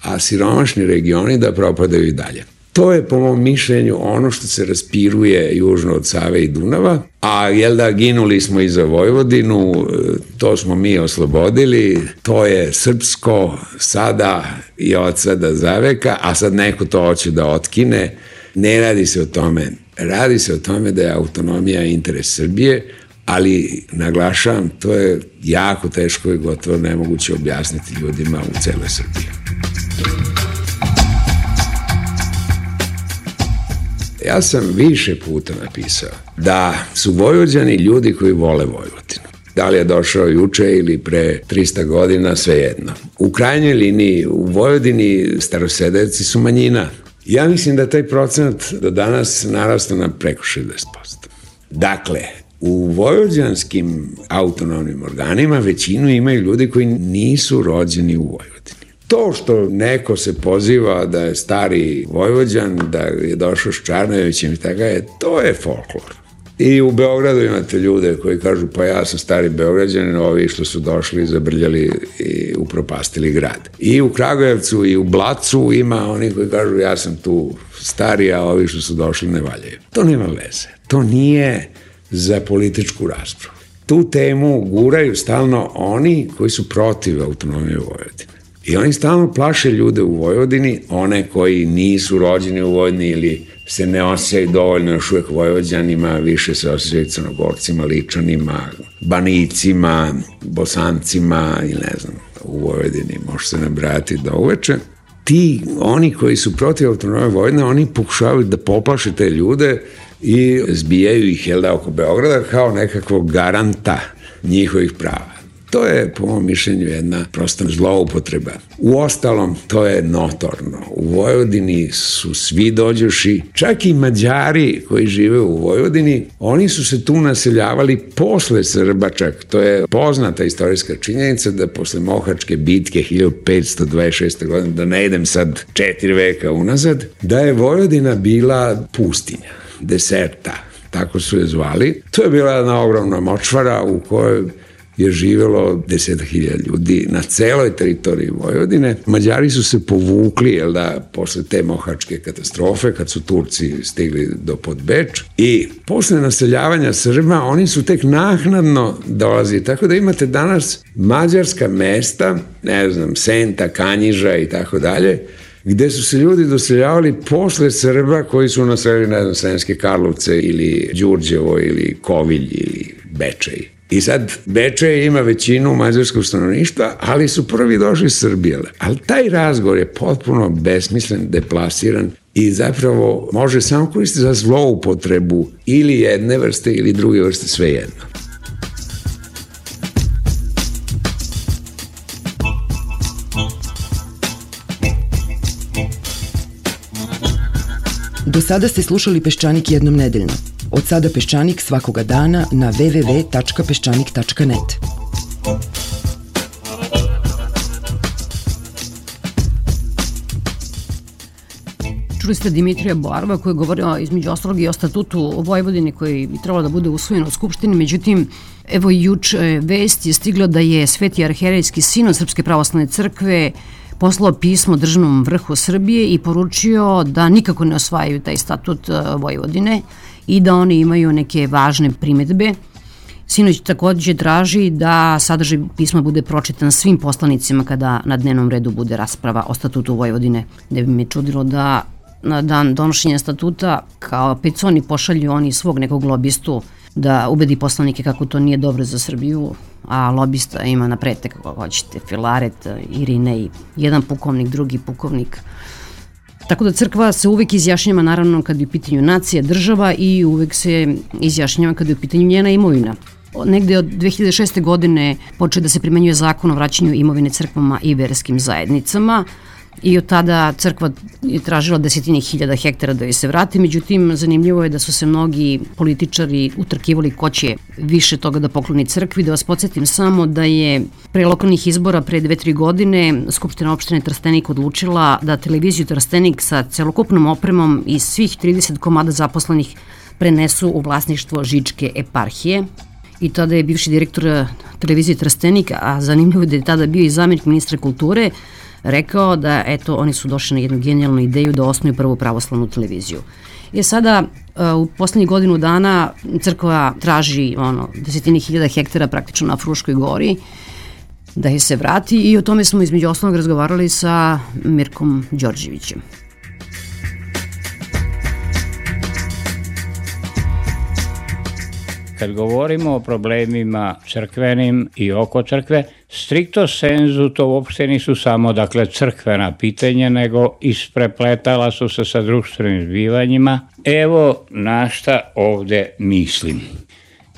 a siromašni regioni da propadaju i dalje. To je po mom mišljenju ono što se raspiruje južno od Save i Dunava, a jel da, ginuli smo i za Vojvodinu, to smo mi oslobodili, to je srpsko sada i od sada zaveka, a sad neko to hoće da otkine. Ne radi se o tome. Radi se o tome da je autonomija interes Srbije, ali naglašavam, to je jako teško i gotovo nemoguće objasniti ljudima u celoj Srbiji. Ja sam više puta napisao da su Vojvođani ljudi koji vole Vojvodinu. Da li je došao juče ili pre 300 godina, svejedno. U krajnjoj liniji u Vojvodini starosedevci su manjina. Ja mislim da taj procenat do danas narastao na preko 60%. Dakle, u vojvođanskim autonomnim organima većinu imaju ljudi koji nisu rođeni u Vojvodini. To što neko se poziva da je stari Vojvođan, da je došao s Čarnojevićem i tako je, to je folklor. I u Beogradu imate ljude koji kažu pa ja sam stari Beograđanin, ovi što su došli, zabrljali i upropastili grad. I u Kragujevcu i u Blacu ima oni koji kažu ja sam tu stari, a ovi što su došli ne valjaju. To nema veze. To nije za političku raspravu. Tu temu guraju stalno oni koji su protiv autonomije Vojvodine. I oni stalno plaše ljude u Vojvodini, one koji nisu rođeni u Vojvodini ili se ne osjećaju dovoljno još uvek Vojvođanima, više se osjećaju Crnogorcima, Ličanima, Banijcima, Bosancima ili ne znam, u Vojvodini može se nabrajati do uveče. Oni koji su protiv autonomije Vojvodine, oni pokušavaju da poplaše te ljude i zbijaju ih, jel da, oko Beograda kao nekakvog garanta njihovih prava. To je, po mom mišljenju, jedna prosta zloupotreba. Uostalom, to je notorno. U Vojvodini su svi dođoši, čak i Mađari koji žive u Vojvodini, oni su se tu naseljavali posle Srba čak. To je poznata istorijska činjenica da posle Mohačke bitke 1526. godine, da ne idem sad 4 veka unazad, da je Vojvodina bila pustinja, deserta, tako su je zvali. To je bila jedna ogromna močvara u kojoj je živelo 10.000 ljudi na celoj teritoriji Vojvodine. Mađari su se povukli, jel da, posle te mohačke katastrofe, kad su Turci stigli do Podbeč, i posle naseljavanja Srba, oni su tek naknadno dolazili, tako da imate danas mađarska mesta, ne znam, Senta, Kanjiža i tako dalje, gde su se ljudi doseljavali posle Srba koji su naselili, ne znam, Sremske Karlovce ili Đurđevo ili Kovilj ili Bečej. I sad Bečej ima većinu mađarskog stanovništva, ali su prvi došli iz Srbije. Ali taj razgovor je potpuno besmislen, deplasiran i zapravo može samo koristiti za zloupotrebu ili jedne vrste ili druge vrste, svejedno. Do sada ste slušali Peščanik jednom nedeljno. Od sada Peščanik svakoga dana na www.peščanik.net. Čuli ste Dimitrija Boarova koji je govorio između ostalog i o statutu Vojvodine koji bi trebalo da bude usvojen u Skupštini. Međutim, evo i juče vest je stigla da je Sveti arhijerejski sinod Srpske pravoslavne crkve poslao pismo državnom vrhu Srbije i poručio da nikako ne osvajaju taj statut Vojvodine i da oni imaju neke važne primetbe. Sinoć takođe traži da sadržaj pisma bude pročitan svim poslanicima kada na dnevnom redu bude rasprava o statutu Vojvodine. Ne bi me čudilo da na dan donošenja statuta kao peconi pošalju oni svog nekog lobistu da ubedi poslanike kako to nije dobro za Srbiju, a lobista ima na pretek kako hoćete, Filaret, Irinej, jedan pukovnik, drugi pukovnik. Tako da crkva se uvek izjašnjava naravno kad je u pitanju nacija, država i uvek se izjašnjava kad je u pitanju njena imovina. Negde od 2006. godine počeo da se primenjuje zakon o vraćanju imovine crkvama i verskim zajednicama i od tada crkva je tražila 10.000 hektara da joj se vrati, međutim zanimljivo je da su se mnogi političari utrkivali ko će više toga da pokloni crkvi. Da vas podsjetim samo da je pre lokalnih izbora pre 2-3 godine Skupština opštine Trstenik odlučila da televiziju Trstenik sa celokupnom opremom i svih 30 komada zaposlenih prenesu u vlasništvo Žičke eparhije. I tada je bivši direktor televizije Trstenik, a zanimljivo je da je tada bio i zamjenik ministra kulture, rekao da eto oni su došli na jednu genijalnu ideju da osnuju prvu pravoslavnu televiziju. Sada u poslednjih godinu dana crkva traži 10.000 hektara praktično na Fruškoj gori da je se vrati i o tome smo između ostalog razgovarali sa Mirkom Đorđevićem. Kad govorimo o problemima crkvenim i oko crkve, stricto senzu to uopšte nisu samo crkvena pitanja, nego isprepletala su se sa društvenim zbivanjima. Evo na šta ovde mislim.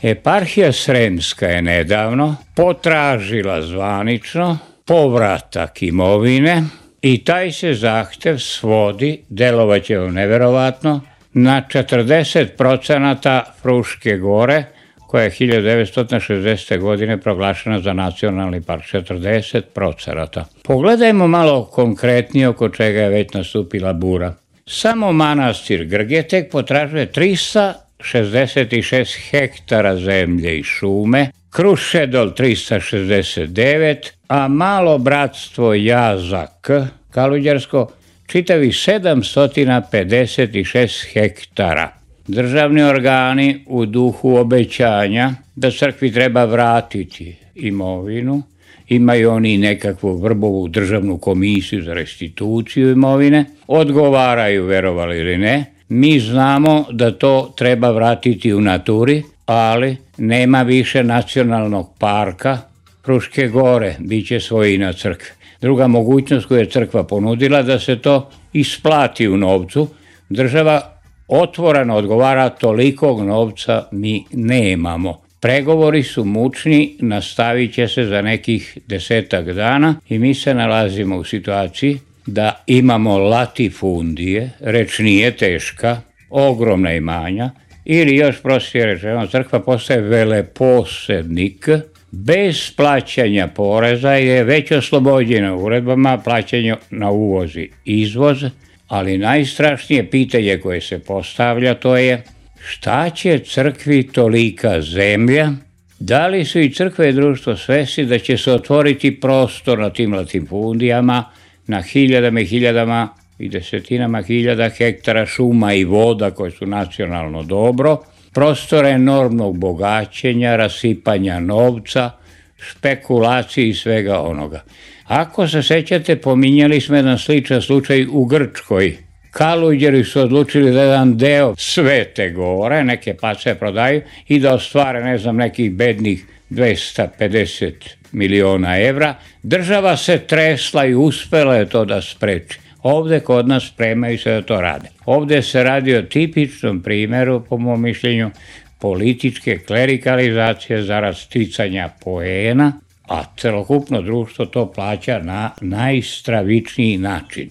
Eparhija Sremska je nedavno potražila zvanično povratak imovine i taj se zahtev svodi, delovaće vam neverovatno, na 40% Fruške gore, koja je 1960. godine proglašena za nacionalni park, 40%. Pogledajmo malo konkretnije oko čega je već nastupila bura. Samo manastir Grgetek potražuje 366 hektara zemlje i šume, Krušedol 369, a malo bratstvo Jazak, Kaluđersko, čitavi 756 hektara. Državni organi u duhu obećanja da crkvi treba vratiti imovinu, imaju oni nekakvu vrbovu državnu komisiju za restituciju imovine, odgovaraju, verovali ili ne. Mi znamo da to treba vratiti u naturi, ali nema više nacionalnog parka Fruške gore, bit će svojina crkve. Druga mogućnost koju je crkva ponudila da se to isplati u novcu, država otvoreno odgovara, tolikog novca mi nemamo. Pregovori su mučni, nastavit će se za nekih 10 dana i mi se nalazimo u situaciji da imamo latifundije, reč nije teška, ogromna imanja, ili još prostije rečeno, crkva postaje veleposednik, bez plaćanja poreza je već oslobođena uredbama plaćanja na uvoz i izvoz, ali najstrašnije pitanje koje se postavlja to je šta će crkvi tolika zemlja, da li su i crkve i društvo svesni da će se otvoriti prostor na tim latifundijama na hiljadama i hiljadama i desetinama hiljada hektara šuma i voda koje su nacionalno dobro, prostora enormnog bogaćenja, rasipanja novca, špekulacije i svega onoga. Ako se sećate, pominjali smo jedan sličan slučaj u Grčkoj, Kaluđeri su odlučili da jedan deo Svete Gore, neke place prodaju i da ostvare, ne znam, nekih bednih 250 miliona evra. Država se tresla i uspela je to da spreči. Ovde kod nas spremaju se da to rade. Ovde se radi o tipičnom primeru, po mom mišljenju, političke klerikalizacije zarad sticanja poena, a celokupno društvo to plaća na najstravičniji način.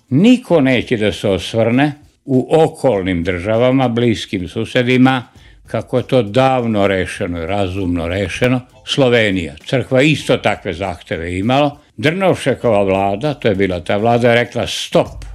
Niko neće da se osvrne u okolnim državama, bliskim susedima, kako je to davno rešeno i razumno rešeno. Slovenija, crkva isto takve zahteve imalo. Drnovšekova vlada, to je bila ta vlada, je rekla stop.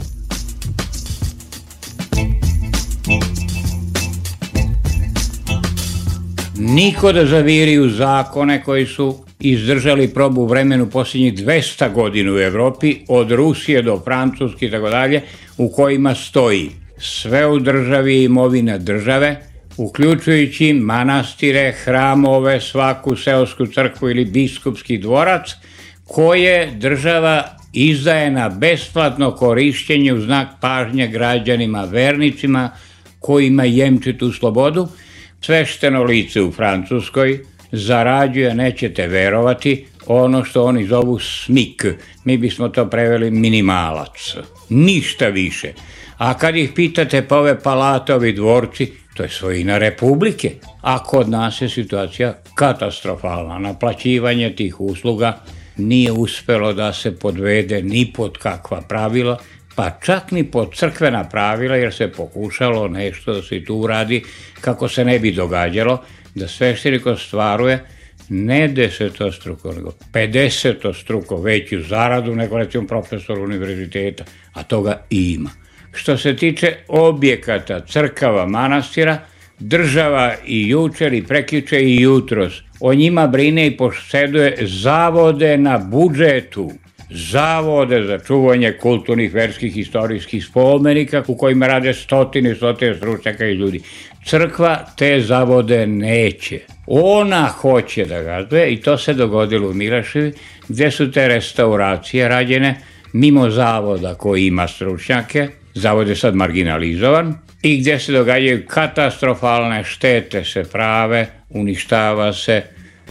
Niko da zaviri u zakone koji su izdržali probu vremenu posljednjih 200 godina u Evropi, od Rusije do Francuske i tako dalje, u kojima stoji sve u državi i imovina države, uključujući manastire, hramove, svaku seosku crkvu ili biskupski dvorac, koje država izdaje na besplatno korišćenje u znak pažnje građanima, vernicima, kojima jemči tu slobodu. Svešteno lice u Francuskoj zarađuje, nećete verovati, ono što oni zovu smik. Mi bismo to preveli minimalac. Ništa više. A kad ih pitate pa ove palate, ovi dvorci, to je svojina Republike. A kod nas je situacija katastrofalna. Naplaćivanje tih usluga nije uspelo da se podvede ni pod kakva pravila, pa čak ni pod crkvena pravila, jer se pokušalo nešto da se tu uradi kako se ne bi događalo, da sveštenik ostvaruje ne 10-struko, nego 50-struko veću zaradu nego recimo profesor univerziteta, a toga ima. Što se tiče objekata, crkava, manastira, država i jučer i prekjuče i jutros o njima brine i poseduje zavode na budžetu, zavode za čuvanje kulturnih, verskih, istorijskih spomenika u kojima rade stotine stručnjaka i ljudi. Crkva te zavode neće. Ona hoće da gazduje i to se dogodilo u Milaševi, gde su te restauracije rađene mimo zavoda koji ima stručnjake. Zavod je sad marginalizovan i gdje se događaju katastrofalne štete, se prave, uništava se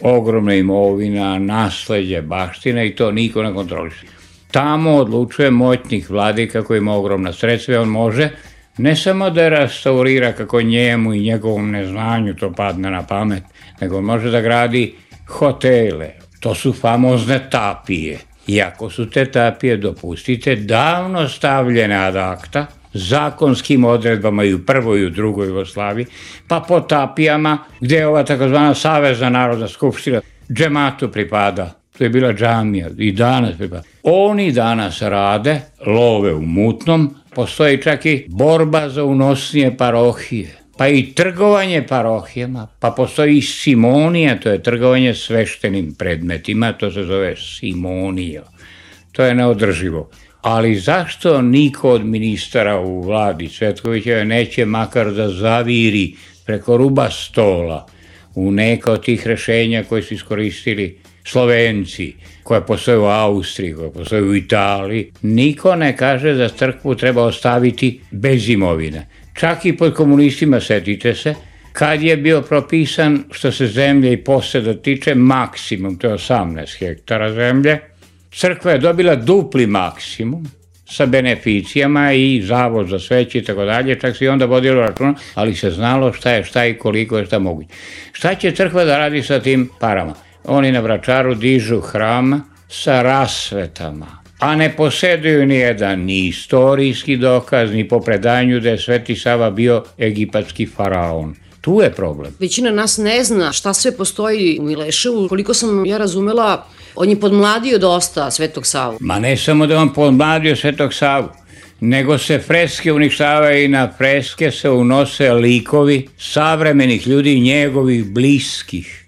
ogromna imovina, nasleđe, baštine i to niko ne kontroliše. Tamo odlučuje moćnik vladika koji ima ogromna sredstva i on može ne samo da restaurira kako njemu i njegovom neznanju to padne na pamet, nego može da gradi hotele. To su famozne tapije. Iako su te tapije, dopustite, davno stavljene ad acta, zakonskim odredbama i u prvoj i u drugoj Jugoslaviji, pa po tapijama gde je ova takozvana Savezna narodna skupština džematu pripada. To je bila džamija i danas pripada. Oni danas rade, love u mutnom, postoji čak i borba za unosnije parohije, pa i trgovanje parohijama, pa postoji i simonija, to je trgovanje sveštenim predmetima, to se zove simonija. To je neodrživo. Ali zašto niko od ministara u vladi Cvetkovićeve neće makar da zaviri preko ruba stola u neka od tih rešenja koje su iskoristili Slovenci, koje postoje u Austriji, koje postoje u Italiji? Niko ne kaže da crkvu treba ostaviti bez imovine. Čak i pod komunistima, setite se, kad je bio propisan, što se zemlje i poseda tiče, maksimum, to je 18 hektara zemlje, crkva je dobila dupli maksimum sa beneficijama i zavod za sveće i tako dalje, čak se i onda vodilo računa, ali se znalo šta je šta i koliko je šta moguće. Šta će crkva da radi sa tim parama? Oni na Vračaru dižu hram sa rasvetama, a ne poseduju ni jedan ni istorijski dokaz, ni po predanju da je Sveti Sava bio egipatski faraon. Tu je problem. Većina nas ne zna šta sve postoji u Mileševu. Koliko sam ja razumela, on je podmladio dosta Svetog Savu. Ma ne samo da on podmladio Svetog Savu, nego se freske uništavaju i na freske se unose likovi savremenih ljudi i njegovih bliskih.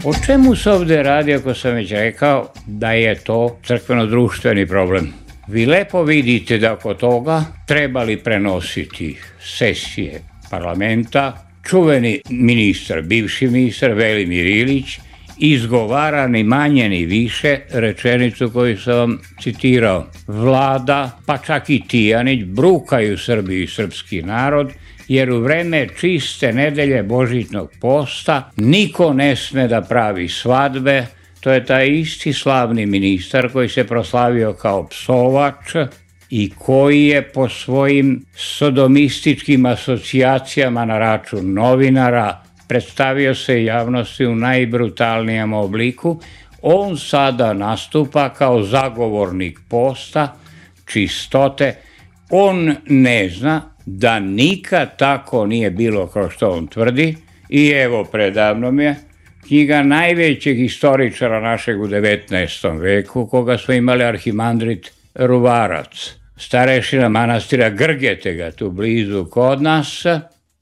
O čemu se ovde radi, ako sam već rekao da je to crkveno-društveni problem? Vi lepo vidite da oko toga trebali prenositi sesije parlamenta, čuveni ministar, bivši ministar Velimir Ilić izgovara ni manje ni više rečenicu koju sam vam citirao. Vlada, pa čak i Tijanić, brukaju Srbiju i srpski narod, jer u vreme čiste nedelje božićnog posta niko ne sme da pravi svadbe. To je taj isti slavni ministar koji se proslavio kao psovač i koji je po svojim sodomističkim asocijacijama na račun novinara predstavio se javnosti u najbrutalnijem obliku. On sada nastupa kao zagovornik posta, čistote. On ne zna da nikad tako nije bilo kao što on tvrdi i evo predavno mi je knjiga najvećeg istoričara našeg u 19. veku, koga smo imali arhimandrit Ruvarac, starešina manastira Grgetega, tu blizu kod nas.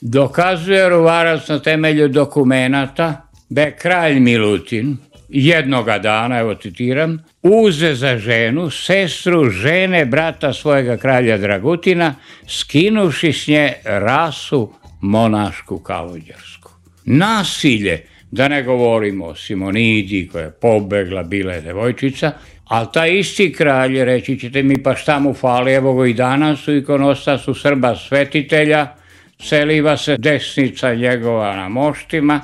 Dokazuje Ruvarac na temelju dokumenata da je kralj Milutin jednoga dana, evo citiram, uze za ženu sestru žene brata svojega kralja Dragutina, skinuši s nje rasu monašku kalođersku. Nasilje, da ne govorimo o Simonidi koja je pobegla, bila je devojčica, ali taj isti kralj, reći ćete mi, pa šta mu fali, evo go i danas u ikonostasu Srba svetitelja, celiva se desnica njegova na moštima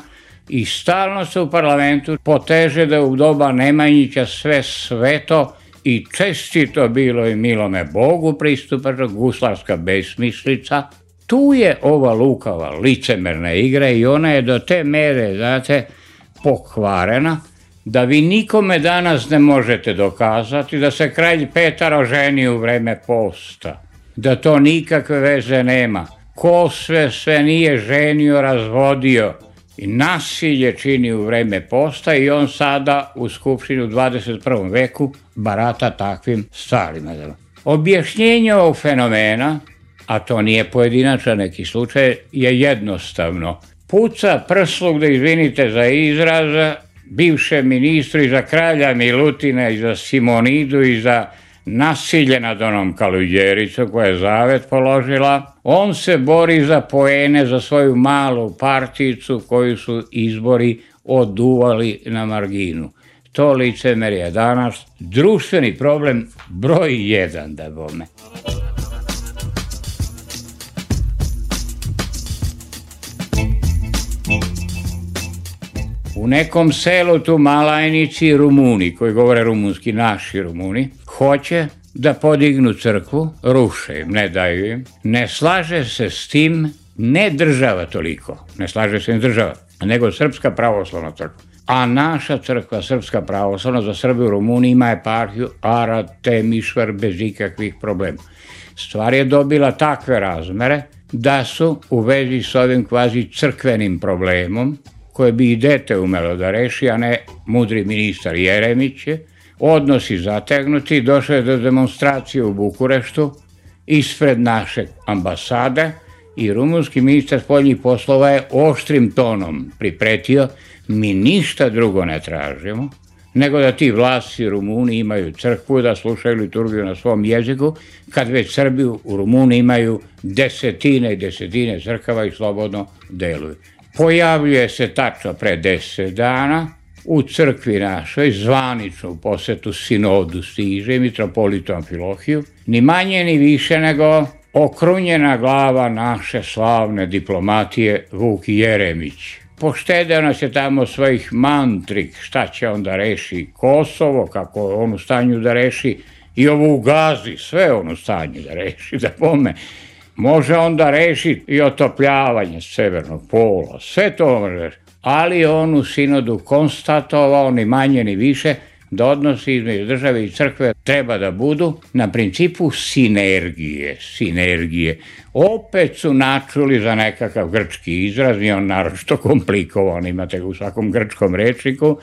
i stalno se u parlamentu poteže da u doba Nemanjića sve sveto i čestito bilo i milome Bogu pristupačna guslarska besmislica. Tu je ova lukava licemerna igra i ona je do te mere, znate, pokvarena da vi nikome danas ne možete dokazati da se kralj Petar oženio u vreme posta, da to nikakve veze nema. Ko sve nije ženio, razvodio i nasilje čini u vreme posta i on sada u Skupštini u 21. veku barata takvim stvarima. Objašnjenje ovog fenomena, a to nije pojedinačan neki slučaj, je jednostavno. Puca prsluk, da izvinite za izraz, bivše ministru i za kralja Milutina i za Simonidu i za nasilje nad onom Kaluđericom koja je zavet položila. On se bori za poene, za svoju malu partijicu koju su izbori oduvali na marginu. To licemer je danas društveni problem broj 1, da bome. U nekom selu tu Malajnici Rumuni, koji govore rumunski, naši Rumuni, hoće da podignu crkvu, ruše im, ne daju im. Ne slaže se s tim, ne država toliko, ne slaže se ni država, nego Srpska pravoslavna crkva. A naša crkva, Srpska pravoslavna, za Srbiju u Rumuniji ima eparhiju Arad Temišvar bez ikakvih problema. Stvar je dobila takve razmere da su u vezi s ovim kvazi crkvenim problemom, koje bi i dete umelo da reši, a ne mudri ministar Jeremić, odnosi zategnuti, došlo je do demonstracije u Bukureštu ispred naše ambasade i rumunski ministar spoljnih poslova je oštrim tonom pripretio: mi ništa drugo ne tražimo, nego da ti vlasti Rumuni imaju crkvu, da slušaju liturgiju na svom jeziku, kad već Srbi u Rumuniji imaju desetine i desetine crkava i slobodno deluju. Pojavljuje se tačno pre 10 dana u crkvi našoj, zvaničnu posetu sinodu stiže i mitropolitu Amfilohiju, ni manje ni više nego okrunjena glava naše slavne diplomatije Vuk Jeremić. Poštedeo nas je tamo svojih mantrik, šta će on da reši Kosovo, kako je on u stanju da reši i ovo u Gazi, sve on u stanju da reši, da pome. Može on da reši i otopljavanje severnog pola, sve to može reši. Ali on u sinodu konstatovao ni manje ni više da odnosi između države i crkve treba da budu na principu sinergije. Opet su načuli za nekakav grčki izraz, nije on naročito komplikovan, imate ga u svakom grčkom rečniku,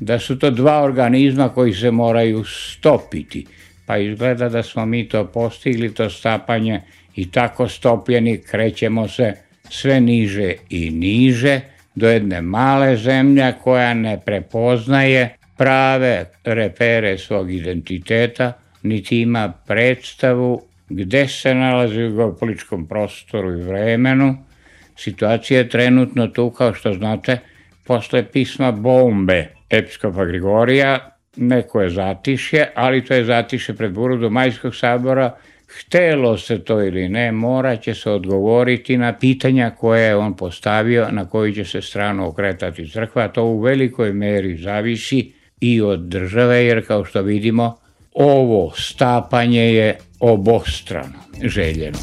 da su to dva organizma koji se moraju stopiti. Pa izgleda da smo mi to postigli, to stapanje, i tako stopljeni krećemo se sve niže i niže do jedne male zemlje koja ne prepoznaje prave repere svog identiteta, niti ima predstavu gde se nalazi u geopolitičkom prostoru i vremenu. Situacija je trenutno tu, kao što znate, posle pisma bombe episkopa Grigorija, neko je zatišje, ali to je zatišje pred burudu Majskog sabora. Htelo se to ili ne, morat će se odgovoriti na pitanja koje je on postavio, na koju će se stranu okretati crkva. To u velikoj meri zavisi i od države, jer kao što vidimo, ovo stapanje je obostrano željeno.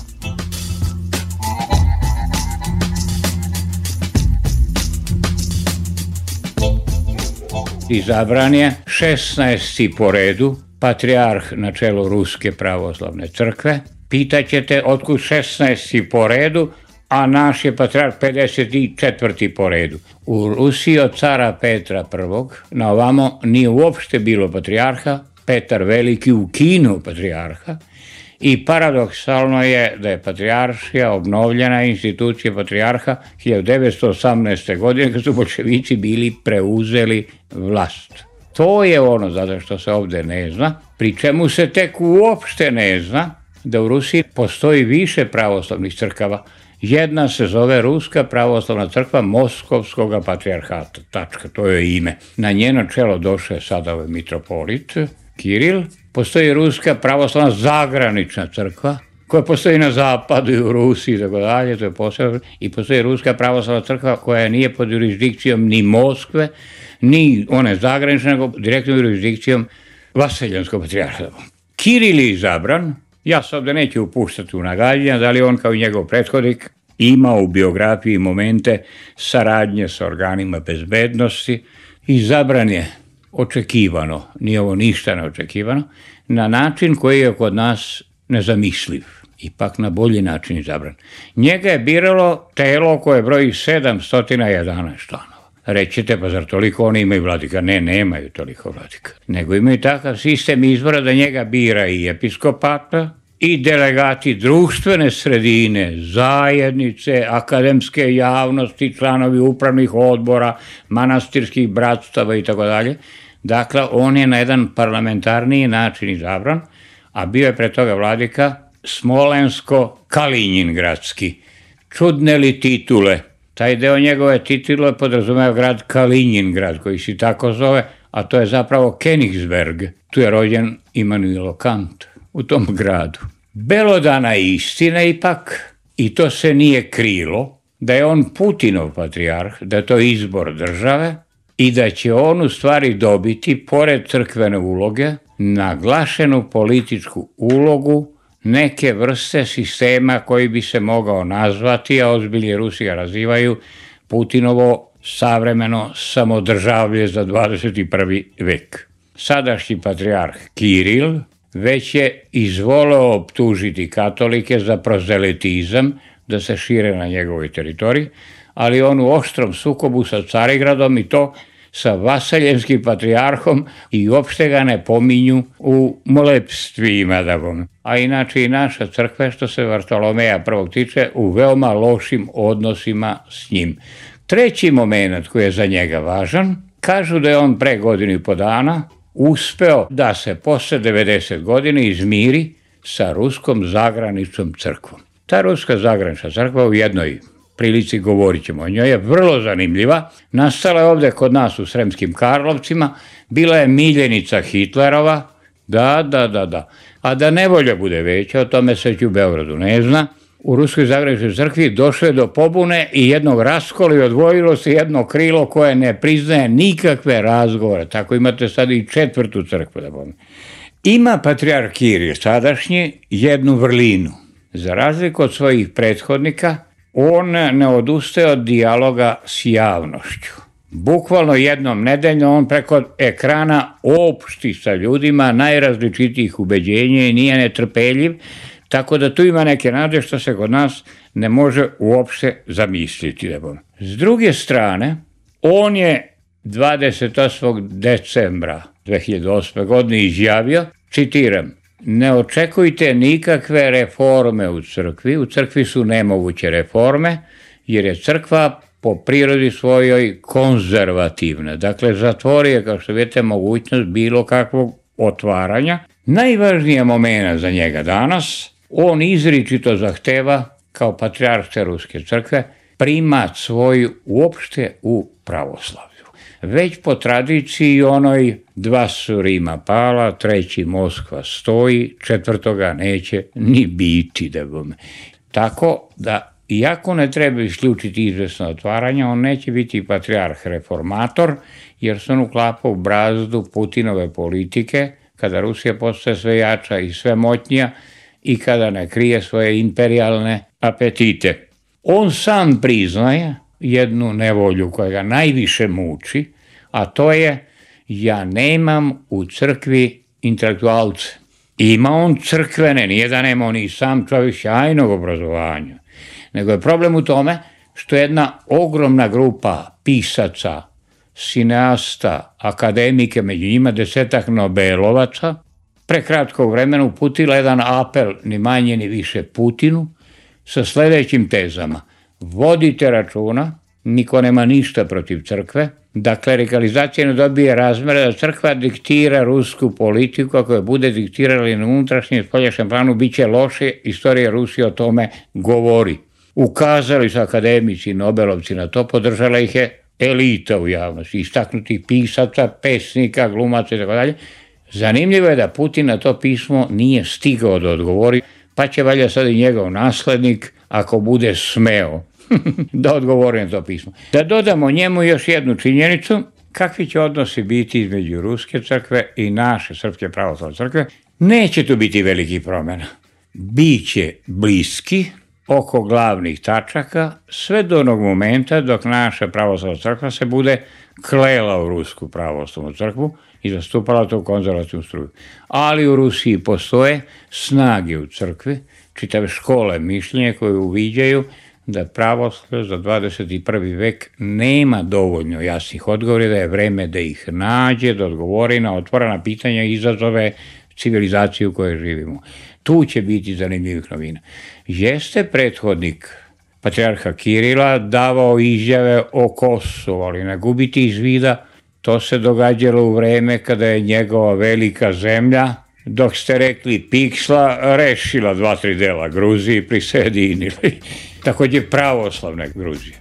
Izabran je 16. po redu patrijarh na čelu Ruske pravoslavne crkve. Pitaćete otkud 16. po redu, a naš je patrijarh 54. po redu. U Rusiji od cara Petra I. na ovamo nije uopšte bilo patrijarha, Petar Veliki ukinuo patrijarha i paradoksalno je da je patrijaršija obnovljena, institucija patrijarha 1918. godine kad su bolševici bili preuzeli vlast. To je ono zato što se ovde ne zna, pri čemu se tek uopšte ne zna da u Rusiji postoji više pravoslavnih crkava. Jedna se zove Ruska pravoslavna crkva Moskovskog patrijarhata, tačka, to je ime. Na njeno čelo došao je sada ovaj mitropolit Kiril. Postoji Ruska pravoslavna zagranična crkva, koja postoji na zapadu i u Rusiji, tako dalje, to je posebno. I postoji Ruska pravoslavna crkva koja nije pod jurisdikcijom ni Moskve, ni one zagranične, nego direktnom jurisdikcijom Vaseljanskog patrijarha. Kiril je izabran, ja se ovde neću upuštati u nagađanja, da li on kao i njegov prethodnik imao u biografiji momente saradnje sa organima bezbednosti. Izabran je očekivano, nije ovo ništa neočekivano, na način koji je kod nas nezamisliv, ipak na bolji način izabran. Njega je biralo telo koje broji 711 članova. Rećete, pa zar toliko oni imaju vladika? Ne, nemaju toliko vladika. Nego imaju takav sistem izbora da njega bira i episkopata, i delegati društvene sredine, zajednice, akademske javnosti, članovi upravnih odbora, manastirskih bratstava i tako dalje. Dakle, on je na jedan parlamentarniji način izabran, a bio je pre toga vladika Smolensko-Kalinjingradski. Čudne li titule? Taj deo njegove titule podrazumeva grad Kalinjingrad, koji se tako zove, a to je zapravo Königsberg. Tu je rođen Immanuel Kant, u tom gradu. Belodana istina ipak, i to se nije krilo, da je on Putinov patrijarh, da je to izbor države i da će on u stvari dobiti, pored crkvene uloge, naglašenu političku ulogu neke vrste sistema koji bi se mogao nazvati, a ozbiljni Rusi ga razivaju, Putinovo savremeno samodržavlje za 21. vek. Sadašnji patrijarh Kiril već je izvoleo optužiti katolike za prozelitizam, da se šire na njegovoj teritoriji, ali on u oštrom sukobu sa Carigradom i to sa vaseljenskim patrijarhom i uopšte ga ne pominju u molepstvima. A inače i naša crkva, što se Vartolomeja I tiče, u veoma lošim odnosima s njim. Treći moment koji je za njega važan, kažu da je on pre godinu i po dana uspeo da se posle 90 godina izmiri sa Ruskom zagraničnom crkvom. Ta Ruska zagranična crkva, u jednoj prilici govorit ćemo o njoj, je vrlo zanimljiva. Nastala je ovde kod nas u Sremskim Karlovcima, bila je miljenica Hitlerova, da. A da nevolja bude veća, o tome se u Beogradu ne zna. U Ruskoj zagraničnoj crkvi došlo je do pobune i jednog raskola i odvojilo se jedno krilo koje ne priznaje nikakve razgovore. Tako imate sad i četvrtu crkvu. Ima patrijarh Kiril sadašnji jednu vrlinu. Za razliku od svojih prethodnika, on ne odustaje od dijaloga s javnošću. Bukvalno jednom nedeljno on preko ekrana opšti sa ljudima najrazličitijih ubeđenja i nije netrpeljiv, tako da tu ima neke nade što se kod nas ne može uopšte zamisliti. S druge strane, on je 28. decembra 2008. godine izjavio, citiram, ne očekujte nikakve reforme u crkvi su nemoguće reforme, jer je crkva po prirodi svojoj konzervativna. Dakle, zatvori je, kao što vidite, mogućnost bilo kakvog otvaranja. Najvažnija momena za njega danas, on izričito zahteva, kao patrijarh te Ruske crkve, primat svoj uopšte u pravoslavlju. već po tradiciji onoj 2 su Rima pala, 3 Moskva stoji, 4 neće ni biti, da bome. Tako da, iako ne treba isključiti izvesno otvaranje, on neće biti patrijarh reformator, jer se on uklapa u brazdu Putinove politike, kada Rusija postaje sve jača i sve moćnija i kada ne krije svoje imperijalne apetite. On sam priznaje jednu nevolju koja ga najviše muči, a to je: ja nemam u crkvi intelektualce. Ima on crkvene, nije da nema on i sam čovjek sjajnog obrazovanja, nego je problem u tome što jedna ogromna grupa pisaca, sineasta, akademike, među njima 10 Nobelovaca, pre kratkog vremena uputila jedan apel, ni manje ni više Putinu, sa sledećim tezama: vodite računa, niko nema ništa protiv crkve, da klerikalizacija ne dobije razmere, da crkva diktira rusku politiku, ako je bude diktirali na unutrašnjem i spoljašnjem planu, bit će loše, istorija Rusije o tome govori. Ukazali su akademici i Nobelovci na to, podržala ih je elita u javnosti, istaknutih pisaca, pesnika, glumaca i tako dalje. Zanimljivo je da Putin na to pismo nije stigao da odgovori, pa će valjda sad i njegov naslednik, ako bude smeo, da odgovori na to pismo. Da dodamo njemu još jednu činjenicu, kakvi će odnosi biti između Ruske crkve i naše Srpske pravoslavne crkve. Neće tu biti velikih promjena. Biće bliski oko glavnih tačaka sve do onog momenta dok naša pravoslavna crkva se bude klela u Rusku pravoslavnu crkvu i zastupala to u konzervativnu struju. Ali u Rusiji postoje snage u crkvi, čitave škole mišljenja koje uviđaju da pravoslavlje za 21. vek nema dovoljno jasnih odgovora, da je vreme da ih nađe, da odgovori na otvorena pitanja i izazove civilizacije u kojoj živimo. Tu će biti zanimljivih novina. Jeste prethodnik patrijarha Kirila davao izjave o Kosovu, ali ne gubiti iz vida, to se događalo u vreme kada je njegova velika zemlja, dok ste rekli piksla, rešila 2-3 dela Gruziji i prisjedinili. Takođe pravoslavne Gruzije.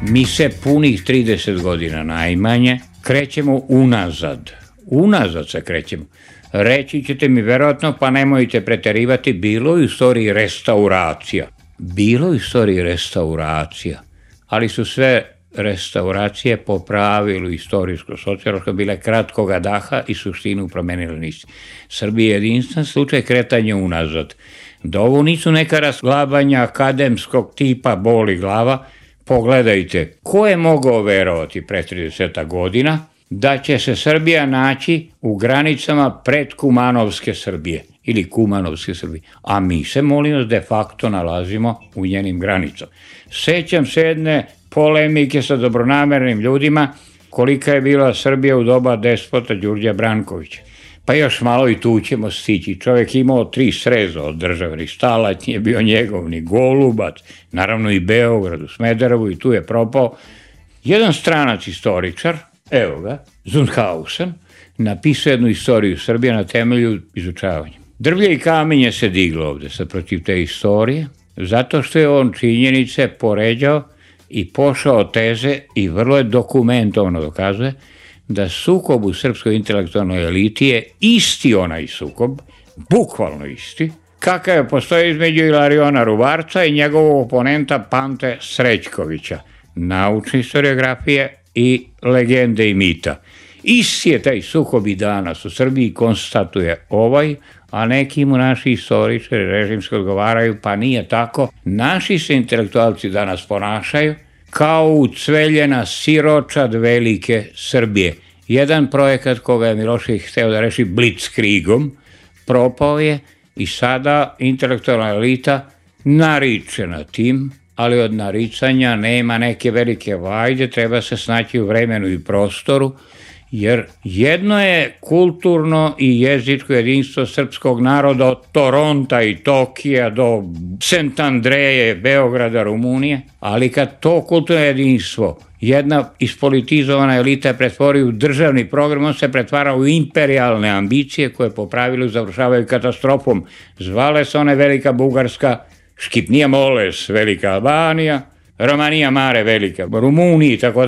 Mi se punih 30 godina najmanje krećemo unazad. Unazad se krećemo. Reći ćete mi verovatno, pa nemojte preterivati, bilo u istoriji restauracija. Bilo u istoriji restauracija, ali su sve restauracije po pravilu istorijsko-sociološko bile kratkoga daha i suštinu promenile nisu. Srbija je jedinstven slučaj kretanja unazad. Da ovo nisu neka rasglabanja akademskog tipa boli glava, pogledajte, ko je mogao verovati pre 30 godina da će se Srbija naći u granicama predkumanovske Srbije ili kumanovske Srbije, a mi se, molim vas, de facto nalazimo u njenim granicama. Sećam se jedne polemike sa dobronamernim ljudima kolika je bila Srbija u doba despota Đurđa Brankovića. Pa još malo i tu ćemo stići. Čovjek imao 3 sreza od državnih, Stalać nije bio njegov, ni Golubac, naravno i Beograd, u Smederevu, i tu je propao. Jedan stranac istoričar, evo ga, Zunhausen, napisao jednu istoriju Srbije na temelju izučavanja. Drvlje i kamenje se diglo ovde sad protiv te istorije, zato što je on činjenice poređao i pošao teze i vrlo je dokumentovano dokazuje da sukob u srpskoj intelektualnoj eliti je isti onaj sukob, bukvalno isti, kakav je postoji između Ilariona Ruvarca i njegovog oponenta Pante Srećkovića, naučne historiografije i legende i mita. Isti je taj sukob i danas u Srbiji, konstatuje ovaj, a neki mu naši istoričari režimski odgovaraju, pa nije tako. Naši se intelektualci danas ponašaju kao ucveljena siročad velike Srbije. Jedan projekat koga je Milošević hteo da reši blitzkriegom, propao je i sada intelektualna elita nariče na tim, ali od naricanja nema neke velike vajde, treba se snaći u vremenu i prostoru, jer jedno je kulturno i jezičko jedinstvo srpskog naroda od Toronta i Tokija do St. Andreje, Beograda, Rumunije, ali kad to kulturno jedinstvo jedna ispolitizovana elita pretvori u državni program, on se pretvara u imperijalne ambicije koje po pravilu završavaju katastrofom. Zvale se one Velika Bugarska Škipnija Moles, Velika Albanija, Romanija Mare Velika, Rumuniji i tako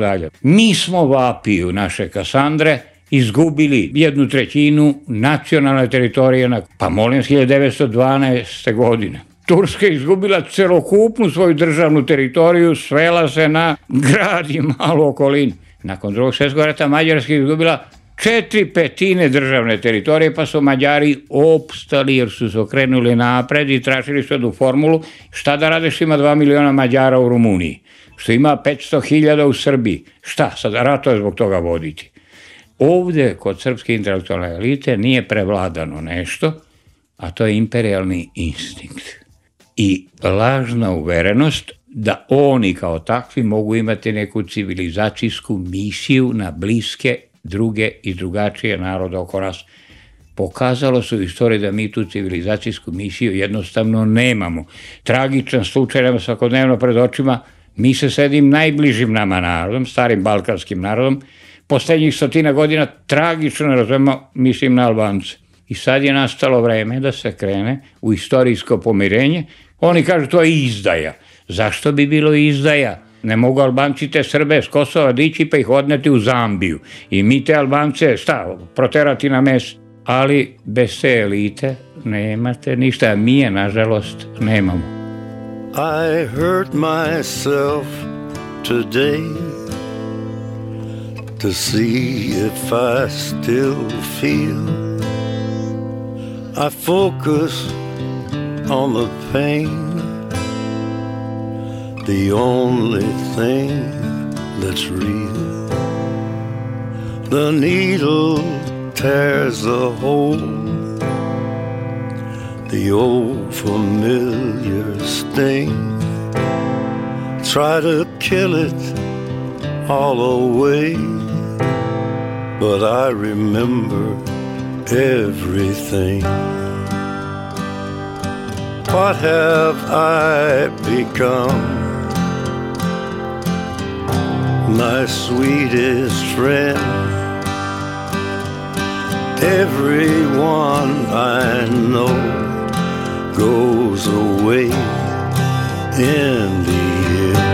dalje. Mi smo vapiju naše Kasandre izgubili 1/3 nacionalne teritorije, pa molim 1912. godine. Turska je izgubila celokupnu svoju državnu teritoriju, svela se na grad i malu okolinu. Nakon Drugog svjetskog rata Mađarska je izgubila 4/5 državne teritorije, pa su Mađari opstali jer su se okrenuli napred i tražili su jednu formulu šta da rade što ima 2 miliona Mađara u Rumuniji, što ima 500.000 u Srbiji. Šta, sad ratove zbog toga voditi? Ovde kod srpske intelektualne elite nije prevladano nešto, a to je imperijalni instinkt i lažna uverenost da oni kao takvi mogu imati neku civilizacijsku misiju na bliske, druge i drugačije narode oko nas. Pokazalo se u istoriji da mi tu civilizacijsku misiju jednostavno nemamo. Tragičan slučaj nema svakodnevno pred očima, mi se s jednim najbližim nama narodom, starim balkanskim narodom, poslednjih 100 godina tragično ne razumemo, mislim na Albance. I sad je nastalo vreme da se krene u istorijsko pomirenje. Oni kažu to je izdaja. Zašto bi bilo izdaja? Ne mogu Albanci te Srbe s Kosova dići pa ih odneti u Zambiju. I mi te Albance, proterati na mes. Ali bez te elite nemate ništa, a mi je, nažalost, nemamo. I hurt myself today to see if I still feel. I focus on the pain, the only thing that's real. The needle tears a hole, the old familiar sting. Try to kill it all away, but I remember everything. What have I become? My sweetest friend. Everyone I know goes away in the end.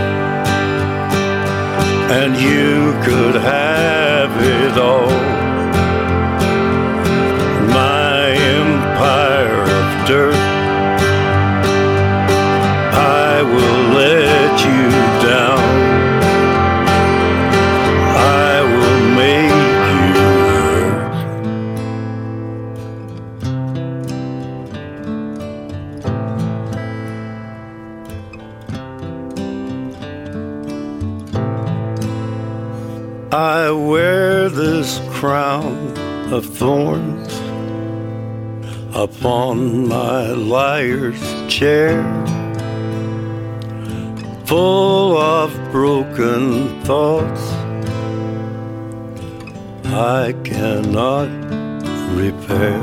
And you could have it all. My empire of dirt, I will let you down. I will make you hurt. I wear this crown of thorns upon my liar's chair, full of broken thoughts I cannot repair.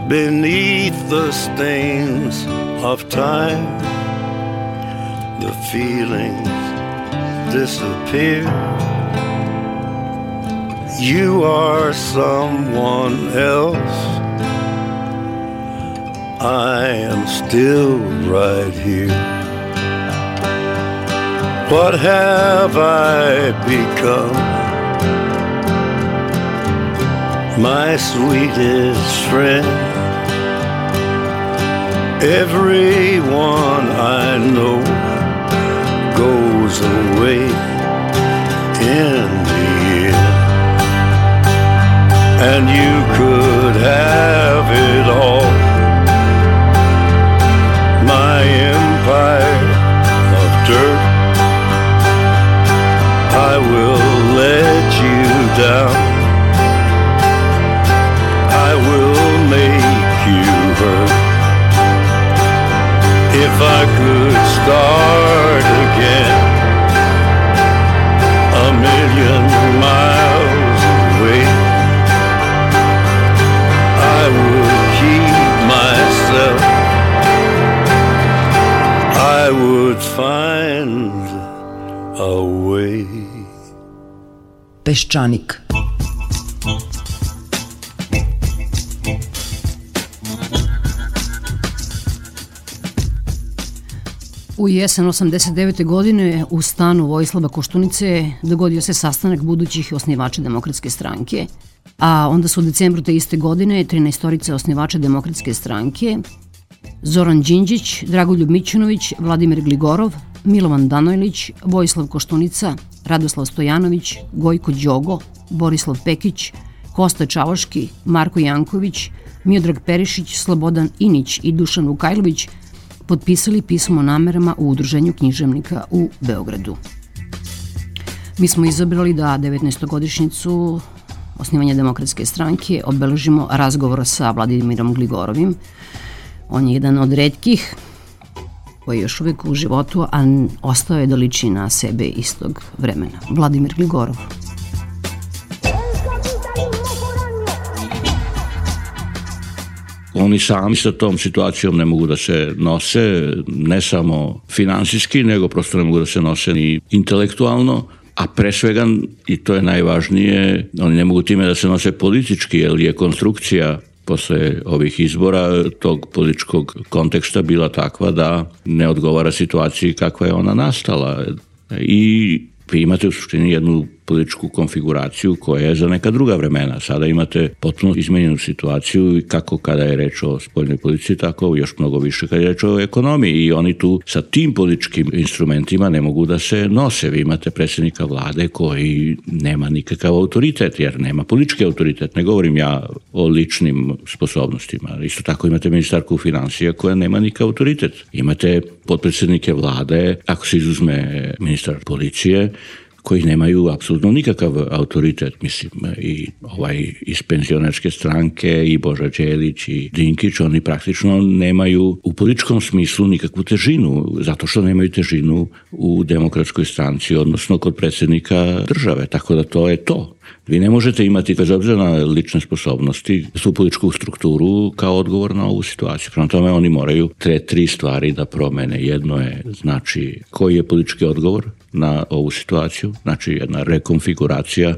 Beneath the stains of time, the feelings disappear. You are someone else, I am still right here. What have I become? My sweetest friend. Everyone I know goes away in the end. And you could have it all. My empire of dirt, I will let you down. I will make you hurt. If I could start again, 1,000,000 miles away, I would keep myself. I would find a way. Peščanik. U jesen 89. godine u stanu Vojislava Koštunice dogodio se sastanak budućih osnivača Demokratske stranke, a onda su u decembru te iste godine 13 osnivača Demokratske stranke Zoran Đinđić, Dragoljub Mićunović, Vladimir Gligorov, Milovan Danojlić, Vojislav Koštunica, Radoslav Stojanović, Gojko Đogo, Borislav Pekić, Kosta Čavoški, Marko Janković, Miodrag Perišić, Slobodan Inić i Dušan Vukajlović potpisali pismo o namerama u Udruženju književnika u Beogradu. Mi smo izabrali da 19. osnivanja Demokratske stranke obeležimo razgovor sa Vladimirom Gligorovim. On je jedan od retkih koji je još uvijek u životu, a ostao je da liči na sebe istog vremena. Vladimir Gligorov. Oni sami sa tom situacijom ne mogu da se nose, ne samo finansijski, nego prosto ne mogu da se nose ni intelektualno, a pre svega, i to je najvažnije, oni ne mogu time da se nose politički, jer je konstrukcija posle ovih izbora tog političkog konteksta bila takva da ne odgovara situaciji kakva je ona nastala. I vi imate u suštini jednu političku konfiguraciju koja je za neka druga vremena. Sada imate potpuno izmenjenu situaciju kako kada je reč o spoljnoj politici, tako još mnogo više kada je reč o ekonomiji i oni tu sa tim političkim instrumentima ne mogu da se nose. Vi imate predsjednika vlade koji nema nikakav autoritet, jer nema politički autoritet. Ne govorim ja o ličnim sposobnostima. Isto tako imate ministarku financija koja nema nikakav autoritet. Imate potpredsjednike vlade, ako se izuzme ministar policije, koji nemaju apsolutno nikakav autoritet, mislim, i iz penzionerske stranke, i Boža Đelić, i Dinkić, oni praktično nemaju u političkom smislu nikakvu težinu, zato što nemaju težinu u Demokratskoj stranci, odnosno kod predsjednika države, tako da to je to. Vi ne možete imati, bez obzira na lične sposobnosti, tu političku strukturu kao odgovor na ovu situaciju. Prema tome oni moraju tri stvari da promene. Jedno je, znači, koji je politički odgovor na ovu situaciju, znači jedna rekonfiguracija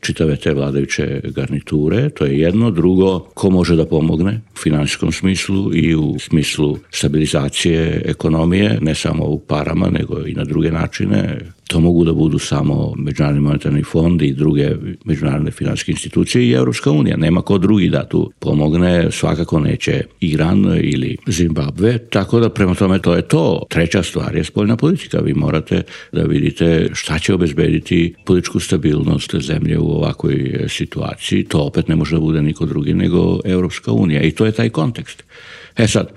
čitave te vladajuće garniture, to je jedno. Drugo, ko može da pomogne u finansijskom smislu i u smislu stabilizacije ekonomije, ne samo u parama, nego i na druge načine. To mogu da budu samo Međunarodni monetarni fond i druge međunarodne finansijske institucije i Evropska unija. Nema ko drugi da tu pomogne, svakako neće Iran ili Zimbabve, tako da prema tome to je to. Treća stvar je spoljna politika. Vi morate da vidite šta će obezbediti političku stabilnost zemlje u ovakvoj situaciji. To opet ne može da bude niko drugi nego Evropska unija i to je taj kontekst. Sad,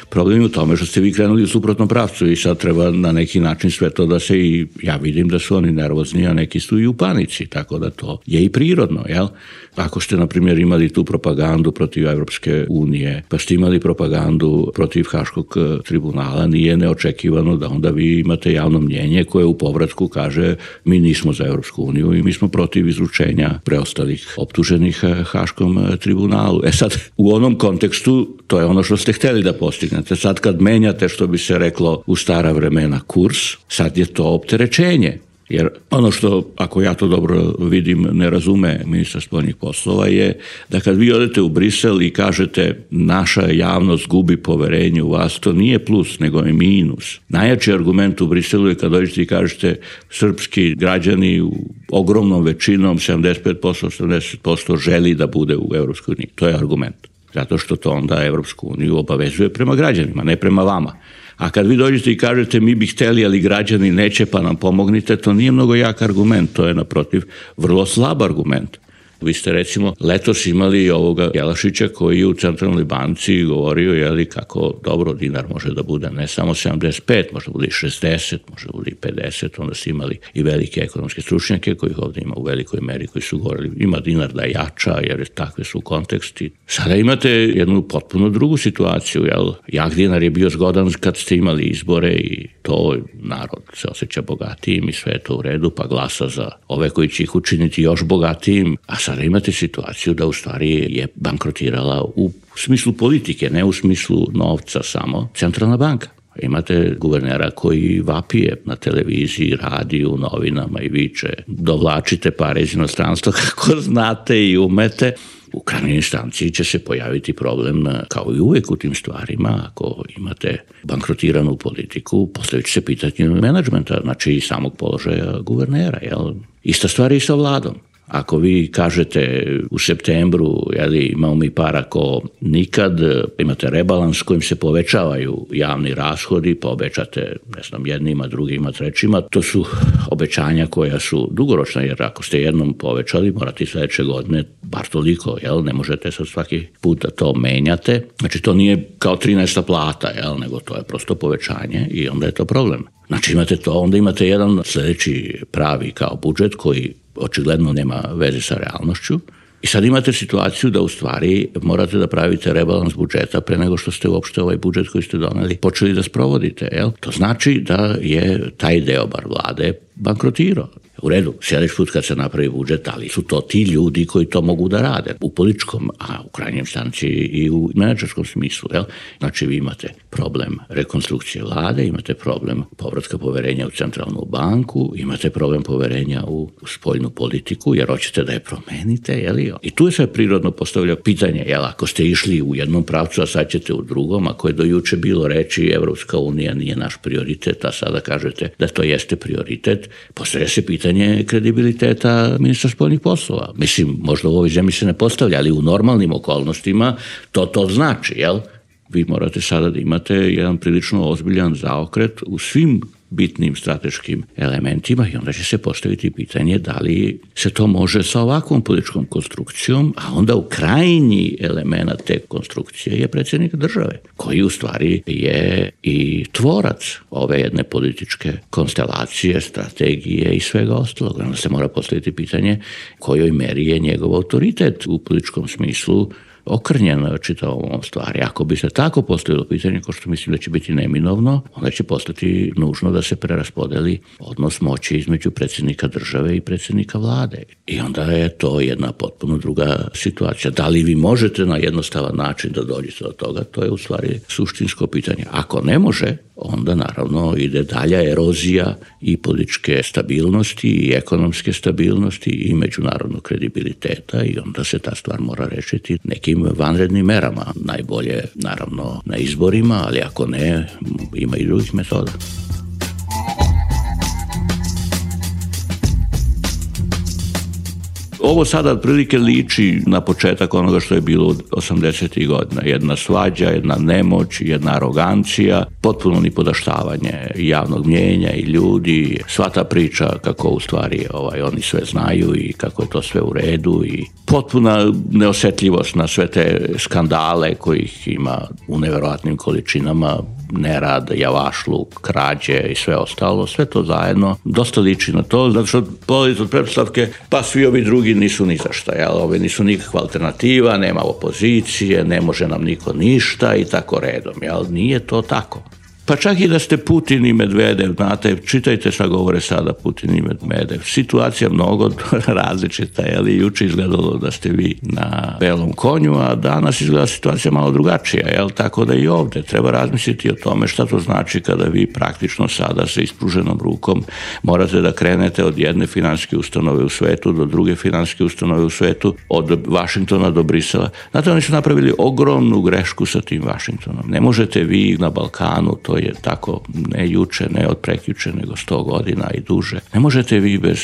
problem je u tome što ste vi krenuli u suprotnom pravcu i sad treba na neki način sve to da se i ja vidim da su oni nervozni, a neki su i u panici, tako da to je i prirodno, jel? Ako ste, na primjer, imali tu propagandu protiv Evropske unije, pa ste imali propagandu protiv Haškog tribunala, nije neočekivano da onda vi imate javno mnjenje koje u povratku kaže mi nismo za Evropsku uniju i mi smo protiv izručenja preostalih optuženih Haškom tribunalu. Sad, u onom kontekstu to je ono što ste hteli da postignete. Sad kad menjate, što bi se reklo u stara vremena, kurs, sad je to opterećenje. Jer ono što, ako ja to dobro vidim, ne razume ministar spoljnih poslova je da kad vi odete u Brisel i kažete naša javnost gubi poverenje u vas, to nije plus, nego je minus. Najjači argument u Briselu je kad dođete i kažete srpski građani u ogromnom većinom, 75%, 80% želi da bude u Evropskoj uniji. To je argument. Zato što to onda Evropsku uniju obavezuje prema građanima, ne prema vama. A kad vi dođete i kažete mi bi hteli, ali građani neće pa nam pomognite, to nije mnogo jak argument, to je naprotiv vrlo slab argument. Vi ste recimo letos imali ovoga Jelašića koji je u Centralnoj banci govorio kako dobro dinar može da bude ne samo 75, može da bude i 60, može da bude i 50, onda ste imali i velike ekonomske stručnjake kojih ovdje ima u velikoj meri koji su govorili ima dinar da jača jer takve su konteksti. Sada imate jednu potpuno drugu situaciju, jak dinar je bio zgodan kad ste imali izbore i to narod se osjeća bogatijim i sve je to u redu pa glasa za ove koji će ih učiniti još bogatijim, a sada imate situaciju da u stvari je bankrotirala u smislu politike, ne u smislu novca samo, Centralna banka. Imate guvernera koji vapije na televiziji, radiju, novinama i viče dovlačite pare iz inostranstva kako znate i umete. U krajnjoj instanciji će se pojaviti problem, kao i uvek u tim stvarima, ako imate bankrotiranu politiku, postavit će se pitanje menadžmenta, znači i samog položaja guvernera. Jel? Ista stvar i sa vladom. Ako vi kažete u septembru, imamo mi para ko nikad, imate rebalans kojim se povećavaju javni rashodi, pa obećate, jednima, drugima, trećima, to su obećanja koja su dugoročna, jer ako ste jednom povećali, morate sledeće godine bar toliko, ne možete sad svaki put da to menjate. Znači to nije kao 13. plata, nego to je prosto povećanje i onda je to problem. Znači imate to, onda imate jedan sledeći pravi kao budžet koji očigledno nema veze sa realnošću. I sad imate situaciju da u stvari morate da pravite rebalans budžeta pre nego što ste uopšte ovaj budžet koji ste doneli počeli da sprovodite. To znači da je taj deo bar vlade bankrotirao. U redu, sljedeći put kad se napravi budžet, ali su to ti ljudi koji to mogu da rade u političkom, a u krajnjem stanci i u menadžerskom smislu. Znači vi imate problem rekonstrukcije vlade, imate problem povratka poverenja u centralnu banku, imate problem poverenja u spoljnu politiku, jer hoćete da je promenite. I tu je sve prirodno postavlja pitanje, ako ste išli u jednom pravcu, a sad ćete u drugom, ako je do juče bilo reći Evropska unija nije naš prioritet, a sada kažete da to jeste prioritet, postavlja se pitanje kredibiliteta ministra spoljnih poslova. Mislim, možda u ovoj zemlji se ne postavlja, ali u normalnim okolnostima to znači, Vi morate sada da imate jedan prilično ozbiljan zaokret u svim bitnim strateškim elementima i onda će se postaviti pitanje da li se to može sa ovakvom političkom konstrukcijom, a onda u krajnji element te konstrukcije je predsjednik države, koji u stvari je i tvorac ove jedne političke konstelacije, strategije i svega ostalog. Onda se mora postaviti pitanje kojoj meri je njegov autoritet u političkom smislu okrnjeno čitavom ovom stvari. Ako bi se tako postavilo pitanje, ko što mislim da će biti neminovno, onda će postati nužno da se preraspodeli odnos moći između predsjednika države i predsjednika vlade. I onda je to jedna potpuno druga situacija. Da li vi možete na jednostavan način da dođete do toga, to je u stvari suštinsko pitanje. Ako ne može, onda naravno ide dalja erozija i političke stabilnosti i ekonomske stabilnosti i međunarodnog kredibiliteta i onda se ta stvar mora rešiti nekim vanrednim merama. Najbolje naravno na izborima, ali ako ne, ima i drugih metoda. Ovo sada otprilike liči na početak onoga što je bilo 80. godina. Jedna svađa, jedna nemoć, jedna arogancija, potpuno nipodaštavanje javnog mnjenja i ljudi. Sva ta priča kako u stvari oni sve znaju i kako je to sve u redu i potpuna neosetljivost na sve te skandale kojih ima u neverovatnim količinama, nerad, javašluk, krađe i sve ostalo, sve to zajedno dosta liči na to, zato što polazi od pretpostavke, pa svi ovi drugi nisu ni za šta, ovi nisu nikakva alternativa, nema opozicije, ne može nam niko ništa i tako redom, nije to tako. Pa čak i da ste Putin i Medvedev, znate, čitajte šta govore sada Putin i Medvedev. Situacija mnogo različita, juče izgledalo da ste vi na belom konju, a danas izgleda situacija malo drugačija, tako da i ovde treba razmisliti o tome šta to znači kada vi praktično sada sa ispruženom rukom morate da krenete od jedne finansijske ustanove u svetu do druge finansijske ustanove u svetu, od Vašingtona do Brisela. Znate, oni su napravili ogromnu grešku sa tim Vašingtonom. Ne možete vi na Balkanu, to je tako ne juče, ne od prekjuče, nego 100 godina i duže. Ne možete vi bez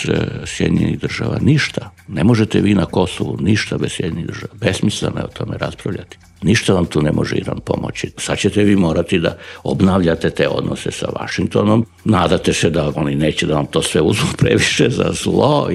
Sjedinjenih država ništa. Ne možete vi na Kosovu ništa bez Sjedinjenih država. Besmisleno je o tome raspravljati. Ništa vam tu ne može Iran pomoći. Sad ćete vi morati da obnavljate te odnose sa Vašingtonom. Nadate se da oni neće da vam to sve uzmu previše za zlo,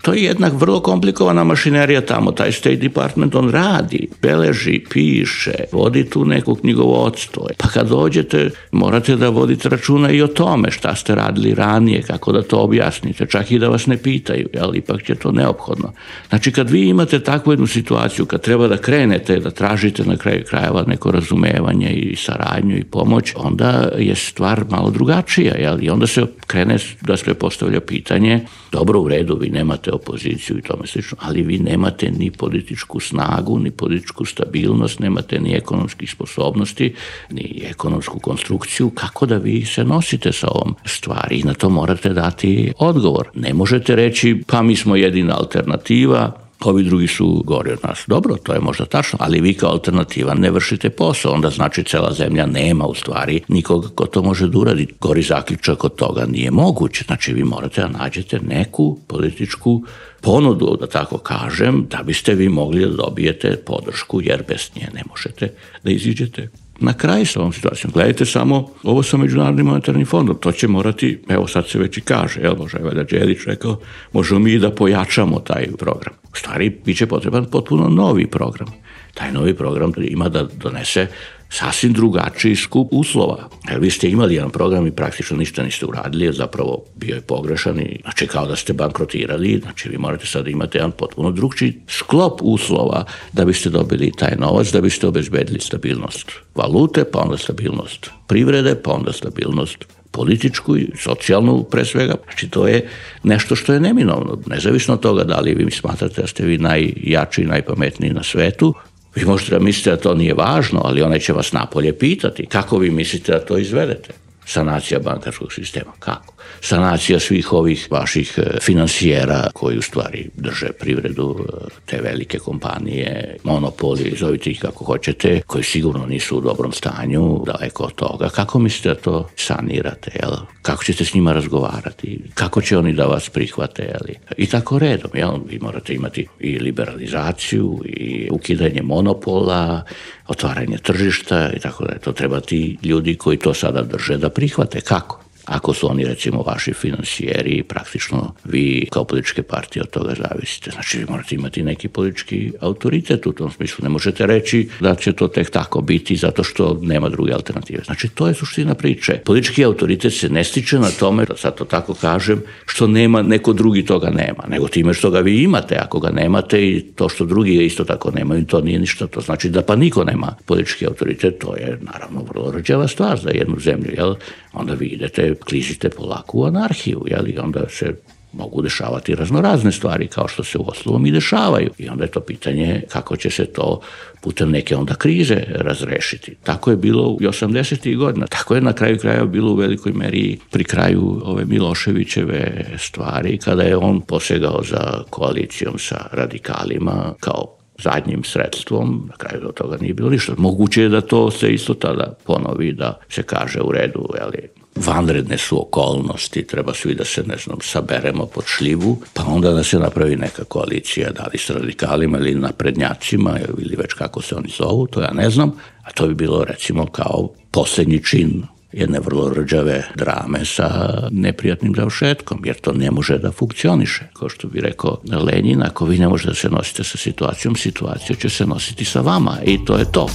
To je jednak vrlo komplikovana mašinerija tamo, taj State Department, on radi, beleži, piše, vodi tu neko knjigovodstvo. Pa kad dođete, morate da vodite računa i o tome šta ste radili ranije, kako da to objasnite, čak i da vas ne pitaju, ipak je to neophodno. Znači kad vi imate takvu jednu situaciju, kad treba da krenete, da tražite na kraju krajeva neko razumevanje i saradnju i pomoć, onda je stvar malo drugačija, i onda se krene da se postavlja pitanje, dobro, u redu, vi nemate opoziciju i tome slično, ali vi nemate ni političku snagu, ni političku stabilnost, nemate ni ekonomskih sposobnosti, ni ekonomsku konstrukciju, kako da vi se nosite sa ovom stvari i na to morate dati odgovor. Ne možete reći, pa mi smo jedina alternativa, ovi drugi su gori od nas. Dobro, to je možda tačno, ali vi kao alternativa ne vršite posao, onda znači cela zemlja nema u stvari nikoga ko to može da uradi. Gori zaključak od toga nije moguće, znači vi morate da nađete neku političku ponudu, da tako kažem, da biste vi mogli da dobijete podršku, jer bez nje ne možete da iziđete na kraj sa ovom situacijom. Gledajte samo ovo sa Međunarodnim monetarnim fondom, to će morati, evo sad se već i kaže, može Valjda Đelić rekao, možemo mi da pojačamo taj program. U stvari, bit će potreban potpuno novi program. Taj novi program ima da donese sasvim drugačiji skup uslova. Vi ste imali jedan program i praktično ništa niste uradili, zapravo bio je pogrešan i znači kao da ste bankrotirali, znači vi morate sad imati jedan potpuno drugčiji sklop uslova da biste dobili taj novac, da biste obezbedili stabilnost valute, pa onda stabilnost privrede, pa onda stabilnost političku i socijalnu pre svega. Znači to je nešto što je neminovno. Nezavisno od toga da li vi smatrate da ste vi najjači i najpametniji na svetu, vi možete da mislite da to nije važno, ali onaj će vas napolje pitati kako vi mislite da to izvedete. Sanacija bankarskog sistema, kako? Sanacija svih ovih vaših finansijera koji u stvari drže privredu, te velike kompanije, monopoli, zovite ih kako hoćete, koji sigurno nisu u dobrom stanju, daleko od toga. Kako mislite da to sanirate, jel? Kako ćete s njima razgovarati? Kako će oni da vas prihvate, jel? I tako redom, jel? Vi morate imati i liberalizaciju, i ukidanje monopola, otvaranje tržišta i tako da. To treba ti ljudi koji to sada drže da prihvate. Kako? Ako su oni recimo vaši finansijeri, praktično vi kao političke partije od toga zavisite. Znači vi morate imati neki politički autoritet u tom smislu. Ne možete reći da će to tek tako biti zato što nema druge alternative. Znači to je suština priče. Politički autoritet se ne stiče na tome, da sad to tako kažem, što nema, neko drugi toga nema, nego time što ga vi imate. Ako ga nemate i to što drugi isto tako nemaju, to nije ništa. To znači da pa niko nema politički autoritet. To je naravno vrlo rđava stvar za jednu zemlju, jel? Onda vi idete, klizite polako u anarhiju, jel? I onda se mogu dešavati raznorazne stvari kao što se uostalom i dešavaju. I onda je to pitanje kako će se to putem neke onda krize razrešiti. Tako je bilo u 80. godina. Tako je na kraju krajeva bilo u velikoj meri pri kraju ove Miloševićeve stvari, kada je on posegao za koalicijom sa radikalima kao zadnjim sredstvom, na kraju do toga nije bilo ništa. Moguće je da to se isto tada ponovi, da se kaže u redu, ali vanredne su okolnosti, treba svi da se, saberemo pod šljivu, pa onda da se napravi neka koalicija, da li s radikalima ili naprednjacima, ili već kako se oni zovu, to ja ne znam, a to bi bilo recimo kao posljednji čin jedne vrlo rđave drame sa neprijatnim završetkom, jer to ne može da funkcioniše. Kao što bi rekao Lenin, ako vi ne možete da se nosite sa situacijom, situacija će se nositi sa vama i to je to.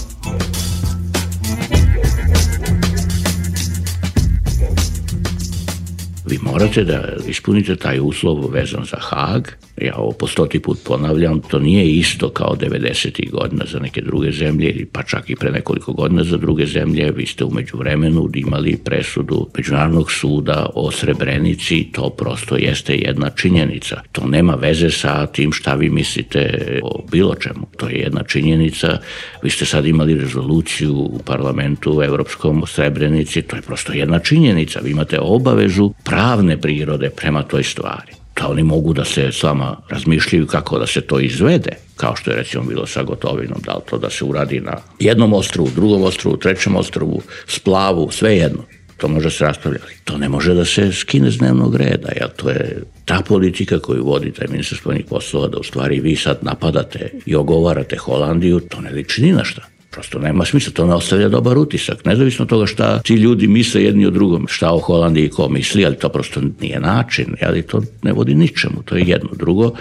Vi morate da ispunite taj uslov vezan za Hag. Ja ovo po 100. put ponavljam, to nije isto kao 90. godina za neke druge zemlje, pa čak i pre nekoliko godina za druge zemlje. Vi ste u međuvremenu imali presudu Međunarodnog suda o Srebrenici, to prosto jeste jedna činjenica. To nema veze sa tim šta vi mislite o bilo čemu. To je jedna činjenica. Vi ste sad imali rezoluciju u parlamentu evropskom o Srebrenici, to je prosto jedna činjenica. Vi imate obavezu pravne prirode prema toj stvari. Da oni mogu da se s vama razmišljaju kako da se to izvede, kao što je recimo bilo sa Gotovinom, da li to da se uradi na jednom ostrvu, drugom ostrvu, trećem ostrvu, splavu, sve jedno. To može se raspravljati. To ne može da se skine z dnevnog reda, jer to je ta politika koju vodi taj ministar spoljnih poslova, da u stvari vi sad napadate i ogovarate Holandiju, to ne liči ni na šta. Prosto nema smisla, to ne ostavlja dobar utisak. Nezavisno od toga šta ti ljudi misle jedni o drugom, šta o Holandiji ko misli, ali to prosto nije način, ali to ne vodi ničemu, to je jedno. Drugo,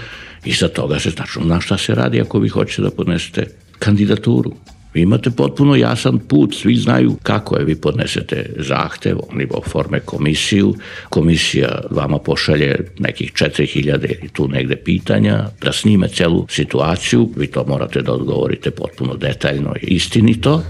iza toga se tačno na šta se radi ako vi hoćete da podnesete kandidaturu. Vi imate potpuno jasan put, svi znaju kako je, vi podnesete zahtev, oni oforme komisiju, komisija vama pošalje nekih 4000 ili tu negde pitanja, da snime celu situaciju, vi to morate da odgovorite potpuno detaljno i istinito.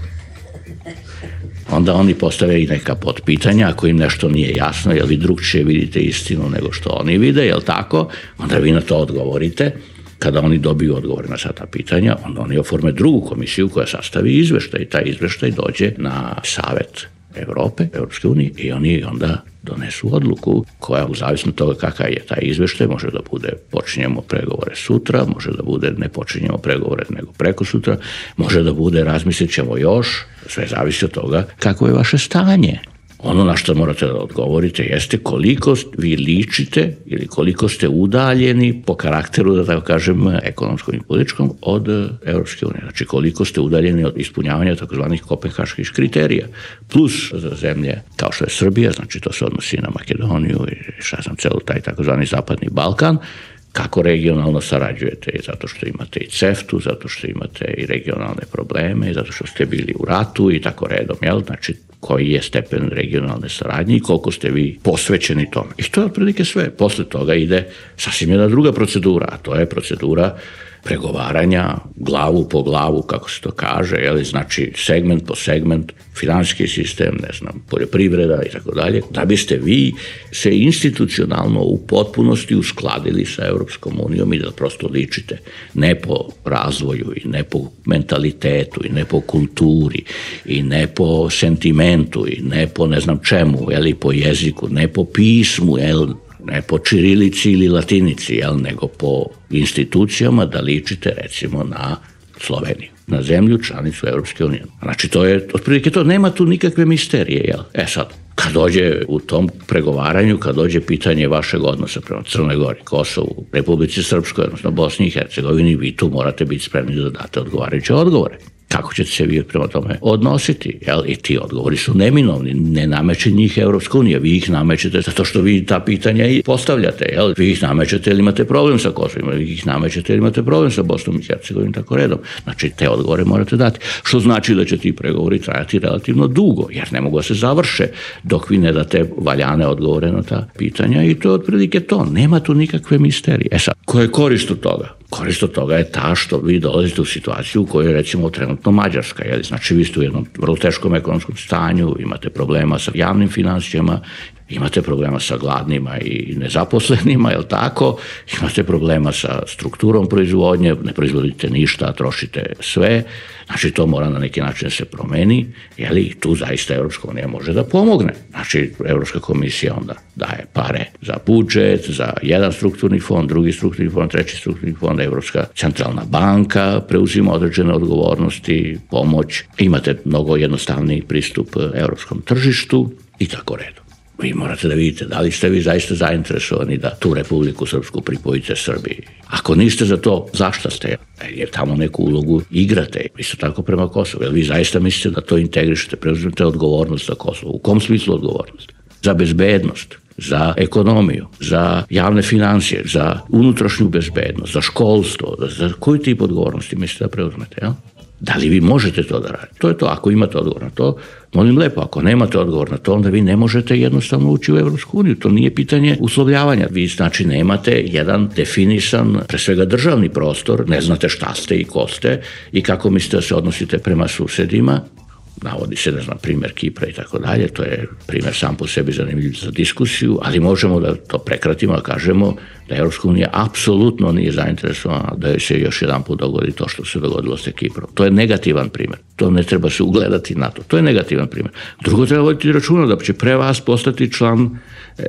Onda oni postave i neka podpitanja, ako im nešto nije jasno, jer vi drugčije vidite istinu nego što oni vide, jel tako? Onda vi na to odgovorite. Kada oni dobiju odgovor na sva ta pitanja, onda oni oforme drugu komisiju koja sastavi izveštaj. Taj izveštaj dođe na savet Evrope, Evropske unije, i oni onda donesu odluku koja, u zavisno od toga kakav je taj izveštaj, može da bude počinjemo pregovore sutra, može da bude ne počinjemo pregovore nego preko sutra, može da bude razmislit ćemo još, sve zavisi od toga kako je vaše stanje. Ono na što morate da odgovorite jeste koliko vi ličite ili koliko ste udaljeni po karakteru, da tako kažem, ekonomskom i političkom od Evropske unije. Znači koliko ste udaljeni od ispunjavanja takozvanih kopenhaških kriterija. Plus za zemlje kao što je Srbija, znači to se odnosi na Makedoniju i celo taj takozvani Zapadni Balkan, kako regionalno sarađujete, zato što imate i CEFTA-u, zato što imate i regionalne probleme, zato što ste bili u ratu i tako redom, jel? Znači koji je stepen regionalne saradnje i koliko ste vi posvećeni tome. I to je otprilike sve. Posle toga ide sasvim jedna druga procedura, a to je procedura pregovaranja glavu po glavu, kako se to kaže, jel? Znači segment po segment, finansijski sistem, ne znam, poljoprivreda i tako dalje, da biste vi se institucionalno u potpunosti uskladili sa Evropskom unijom i da prosto ličite ne po razvoju i ne po mentalitetu i ne po kulturi i ne po sentimentu i ne po ne znam čemu, jel, i po jeziku, ne po pismu, jel, ne po čirilici ili latinici, jel, nego po institucijama da ličite recimo na Sloveniju, na zemlju članicu Evropske unije. Znači to je otprilike to, nema tu nikakve misterije, jel? Sad, kad dođe u tom pregovaranju, kad dođe pitanje vašeg odnosa prema Crnoj Gori, Kosovu, Republici Srpskoj, odnosno Bosni i Hercegovini, vi tu morate biti spremni da date odgovarajuće odgovore. Kako ćete se vi prema tome odnositi? Jel? I ti odgovori su neminovni, ne nameće njih Evropska unija, vi ih namećete zato što vi ta pitanja i postavljate, jel? Vi ih namećete ili imate problem sa Kosovom, vi ih namećete ili imate problem sa Bosnom i Hercegovinom, tako redom. Znači te odgovore morate dati, što znači da će ti pregovori trajati relativno dugo, jer ne mogu da se završe dok vi ne date valjane odgovore na ta pitanja i to je otprilike to, nema tu nikakve misterije. Sad, koja je korist od toga? Korist od toga je ta što vi dolazite u situaciju u kojoj je recimo trenutno Mađarska. Jel? Znači vi ste u jednom vrlo teškom ekonomskom stanju, imate problema sa javnim financijama, imate problema sa gladnima i nezaposlenima, jel tako? Imate problema sa strukturom proizvodnje, ne proizvodite ništa, trošite sve. Znači to mora na neki način se promeni, jel, i tu zaista Evropska unija može da pomogne. Znači Evropska komisija onda daje pare za budžet, za jedan strukturni fond, drugi strukturni fond, treći strukturni fond, Evropska centralna banka preuzima određene odgovornosti, pomoć. Imate mnogo jednostavniji pristup evropskom tržištu i tako redom. Vi morate da vidite da li ste vi zaista zainteresovani da tu Republiku Srpsku pripojite Srbiji. Ako niste za to, zašto ste? Jer tamo neku ulogu igrate. Isto tako prema Kosovu. Jer vi zaista mislite da to integrišete, preuzmete odgovornost za Kosovo. U kom smislu odgovornost? Za bezbednost, za ekonomiju, za javne financije, za unutrašnju bezbednost, za školstvo. Za koji tip odgovornosti mislite da preuzmete? Ja? Da li vi možete to da radite? To je to. Ako imate odgovor na to, molim lepo, ako nemate odgovor na to, onda vi ne možete jednostavno ući u Evropsku uniju. To nije pitanje uslovljavanja. Vi znači nemate jedan definisan, pre svega državni prostor, ne znate šta ste i ko ste i kako mislite da se odnosite prema susedima. Navodi se, ne znam, primjer Kipra i tako dalje, to je primjer sam po sebi zanimljiv za diskusiju, ali možemo da to prekratimo, da kažemo da Evropska unija apsolutno nije zainteresovana da joj se još jedan put dogodi to što se dogodilo sa Kiprom. To je negativan primjer. To ne treba se ugledati na to. To je negativan primjer. Drugo, treba voditi računa da će pre vas postati član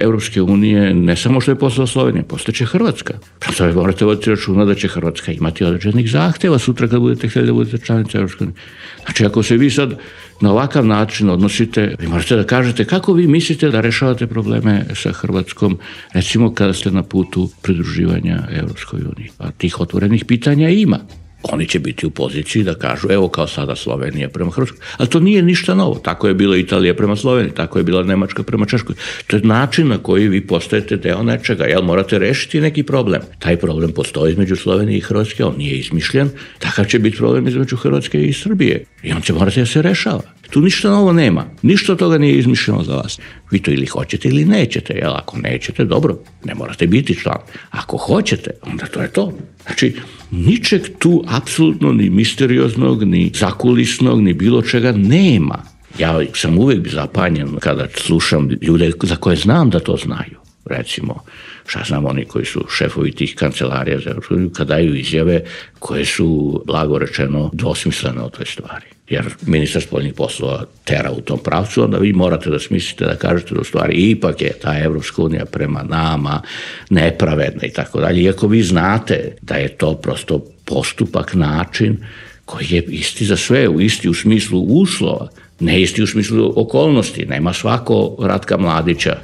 Evropske unije, ne samo što je postala Slovenija, postaće Hrvatska. Prvo morate voditi računa da će Hrvatska imati određenih zahteva sutra kad budete htjeli da budete članica Evropske unije. Znači, ako se vi sad na ovakav način odnosite, vi morate da kažete kako vi mislite da rešavate probleme sa Hrvatskom, recimo kada ste na putu pridruživanja Evropskoj uniji. A tih otvorenih pitanja ima. Oni će biti u poziciji da kažu, evo kao sada Slovenija prema Hrvatskoj. Ali to nije ništa novo. Tako je bila Italija prema Sloveniji, tako je bila Nemačka prema Češkoj. To je način na koji vi postajete deo nečega. Jel morate rešiti neki problem? Taj problem postoji između Slovenije i Hrvatske, on nije izmišljen. Takav će biti problem između Hrvatske i Srbije. I on će morati da se rešava. Tu ništa novo nema. Ništa od toga nije izmišljeno za vas. Vi to ili hoćete ili nećete. Jel, ako nećete, dobro, ne morate biti član. Ako hoćete, onda to je to. Znači, ničeg tu apsolutno ni misterioznog, ni zakulisnog, ni bilo čega nema. Ja sam uvek zapanjen kada slušam ljude za koje znam da to znaju. Recimo, šta znam, oni koji su šefovi tih kancelarija za Evropsku uniju, kad daju izjave koje su, blago rečeno, dvosmislene o toj stvari. jer ministar spoljnih poslova tera u tom pravcu, onda vi morate da smislite da kažete da u stvari ipak je ta Evropska unija prema nama nepravedna i tako dalje. Iako vi znate da je to prosto postupak, način koji je isti za sve, isti u smislu uslova, ne isti u smislu okolnosti. Nema svako Ratka Mladića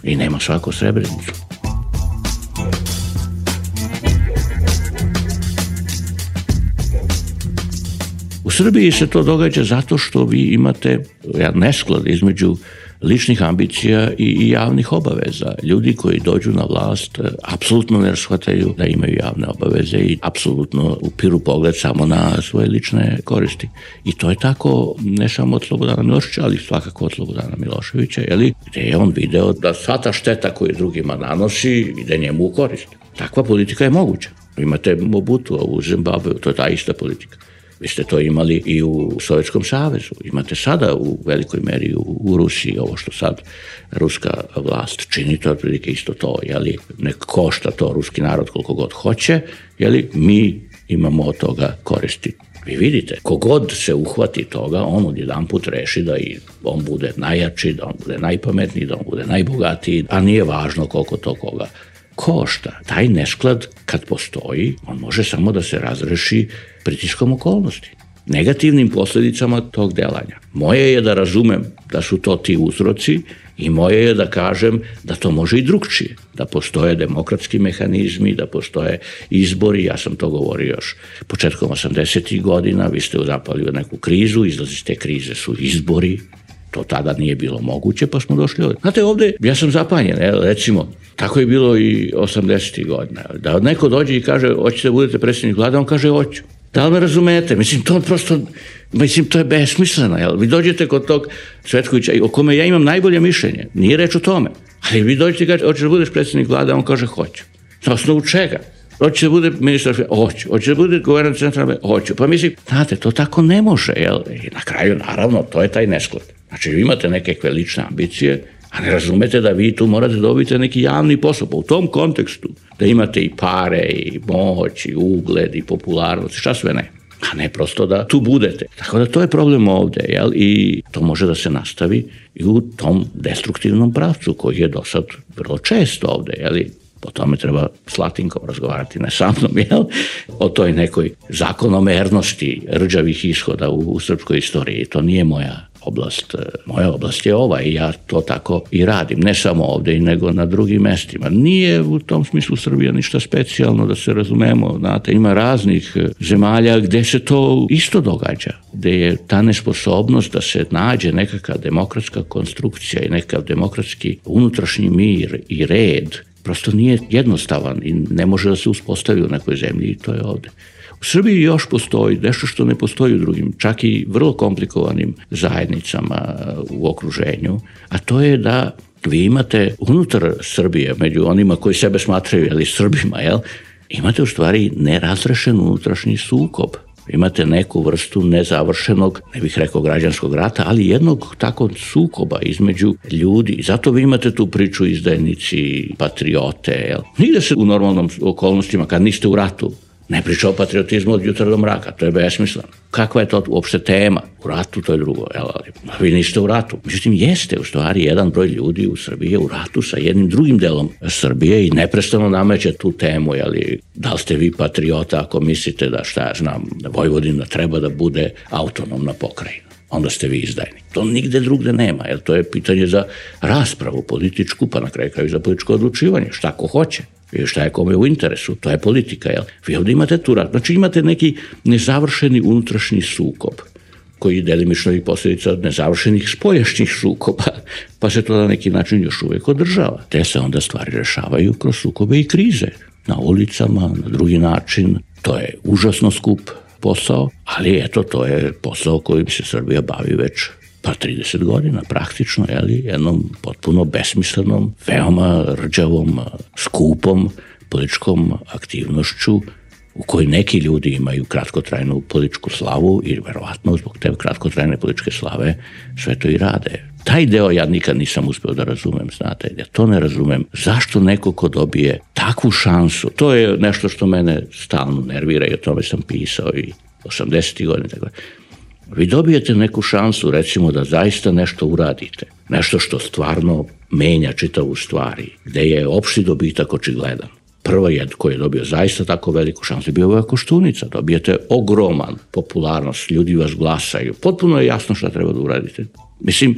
i nema svako Srebrenicu. U Srbiji se to događa zato što vi imate nesklad između ličnih ambicija i javnih obaveza. Ljudi koji dođu na vlast apsolutno ne shvataju da imaju javne obaveze i apsolutno upiru pogled samo na svoje lične koristi. I to je tako ne samo od Slobodana Miloševića, ali svakako od Slobodana Miloševića, gde je on video da sva ta šteta koju drugima nanosi ide njemu u korist. Takva politika je moguća. Imate Mobutua u Zimbabveu, to je ta ista politika. Vi ste to imali i u Sovjetskom savezu. Imate sada u velikoj meri u Rusiji ovo što sad ruska vlast čini, to je otprilike isto to, nek košta to ruski narod koliko god hoće, mi imamo od toga koristi. Vi vidite, kogod se uhvati toga, on odjedanput reši da i on bude najjači, da on bude najpametniji, da on bude najbogatiji, a nije važno koliko to koga košta. Taj nesklad kad postoji, on može samo da se razreši pritiskom okolnosti, negativnim posljedicama tog delanja. Moje je da razumem da su to ti uzroci i moje je da kažem da to može i drugčije, da postoje demokratski mehanizmi, da postoje izbori, ja sam to govorio još početkom 80. godina, vi ste zapali u neku krizu, izlaz iz te krize su izbori, to tada nije bilo moguće, pa smo došli ovdje. Znate, ovdje ja sam zapanjen, recimo, tako je bilo i 80. godina, da neko dođe i kaže, hoćete da budete predsjednik vlade, on kaže, hoću. Da li me razumete? To je besmisleno. Vi dođete kod tog Cvetkovića, o kome ja imam najbolje mišljenje, nije reč o tome, ali vi dođete i kažete, hoćeš da budeš predsjednik vlade, on kaže, hoću. Na osnovu čega? Hoće da bude ministar, hoću. Hoće da bude guverner centralne, hoću. Pa mislim, znate, to tako ne može, I na kraju, naravno, to je taj nesklad. Znači, vi imate neke lične ambicije, a ne razumete da vi tu morate dobiti neki javni posao. Pa u tom kontekstu, da imate i pare, i moć, i ugled, i popularnost, šta sve ne. A ne prosto da tu budete. Tako da to je problem ovde, I to može da se nastavi i u tom destruktivnom pravcu koji je do sad vrlo često ovde, O tome treba s Latinkom razgovarati, ne sa mnom, O toj nekoj zakonomernosti rđavih ishoda u srpskoj istoriji. To nije moja oblast. Moja oblast je ova i ja to tako i radim. Ne samo ovde, nego na drugim mestima. Nije u tom smislu Srbija ništa specijalno, da se razumemo. Znate, ima raznih zemalja gde se to isto događa. Gde je ta nesposobnost da se nađe nekakva demokratska konstrukcija i nekakav demokratski unutrašnji mir i red prosto nije jednostavan i ne može da se uspostavi u nekoj zemlji i to je ovde. U Srbiji još postoji nešto što ne postoji u drugim, čak i vrlo komplikovanim zajednicama u okruženju, a to je da vi imate unutar Srbije, među onima koji sebe smatraju Srbima, imate u stvari nerazrešen unutrašnji sukob. Imate neku vrstu nezavršenog, ne bih rekao građanskog rata, ali jednog takvog sukoba između ljudi. I zato vi imate tu priču izdajnici, patriote. Nigde se u normalnom okolnostima, kad niste u ratu, ne priča o patriotizmu od jutra do mraka, to je besmisleno. Kakva je to uopšte tema? U ratu to je drugo, ali vi niste u ratu. Međutim, jeste u stvari jedan broj ljudi u Srbiji je u ratu sa jednim drugim delom Srbije i neprestano nameće tu temu, da li ste vi patriota ako mislite da, da Vojvodina treba da bude autonomna pokrajina. Onda ste vi izdajnik. To nigde drugde nema, jer to je pitanje za raspravu političku, pa na kraju i za političko odlučivanje, šta ko hoće. I šta je kome u interesu, to je politika, Vi ovdje imate tu rat, znači imate neki nezavršeni unutrašnji sukob, koji je delimično i posljedica nezavršenih spoljašnjih sukoba, pa se to na neki način još uvijek održava. Te se onda stvari rešavaju kroz sukobe i krize, na ulicama, na drugi način. To je užasno skup posao, ali eto, to je posao kojim se Srbija bavi već 30 godina praktično, jednom potpuno besmislenom, veoma rđavom, skupom političkom aktivnošću u kojoj neki ljudi imaju kratkotrajnu političku slavu i verovatno zbog te kratkotrajne političke slave sve to i rade. Taj deo ja nikad nisam uspeo da razumem, znate, ja to ne razumem. Zašto neko ko dobije takvu šansu, to je nešto što mene stalno nervira i o tome sam pisao i 80. godine, tako. Vi dobijete neku šansu, recimo, da zaista nešto uradite. Nešto što stvarno menja čitavu stvari, gde je opšti dobitak očigledan. Prvo koji je dobio zaista tako veliku šansu je bio ova Koštunica. Dobijete ogroman popularnost, ljudi vas glasaju. Potpuno je jasno šta treba da uradite. Mislim,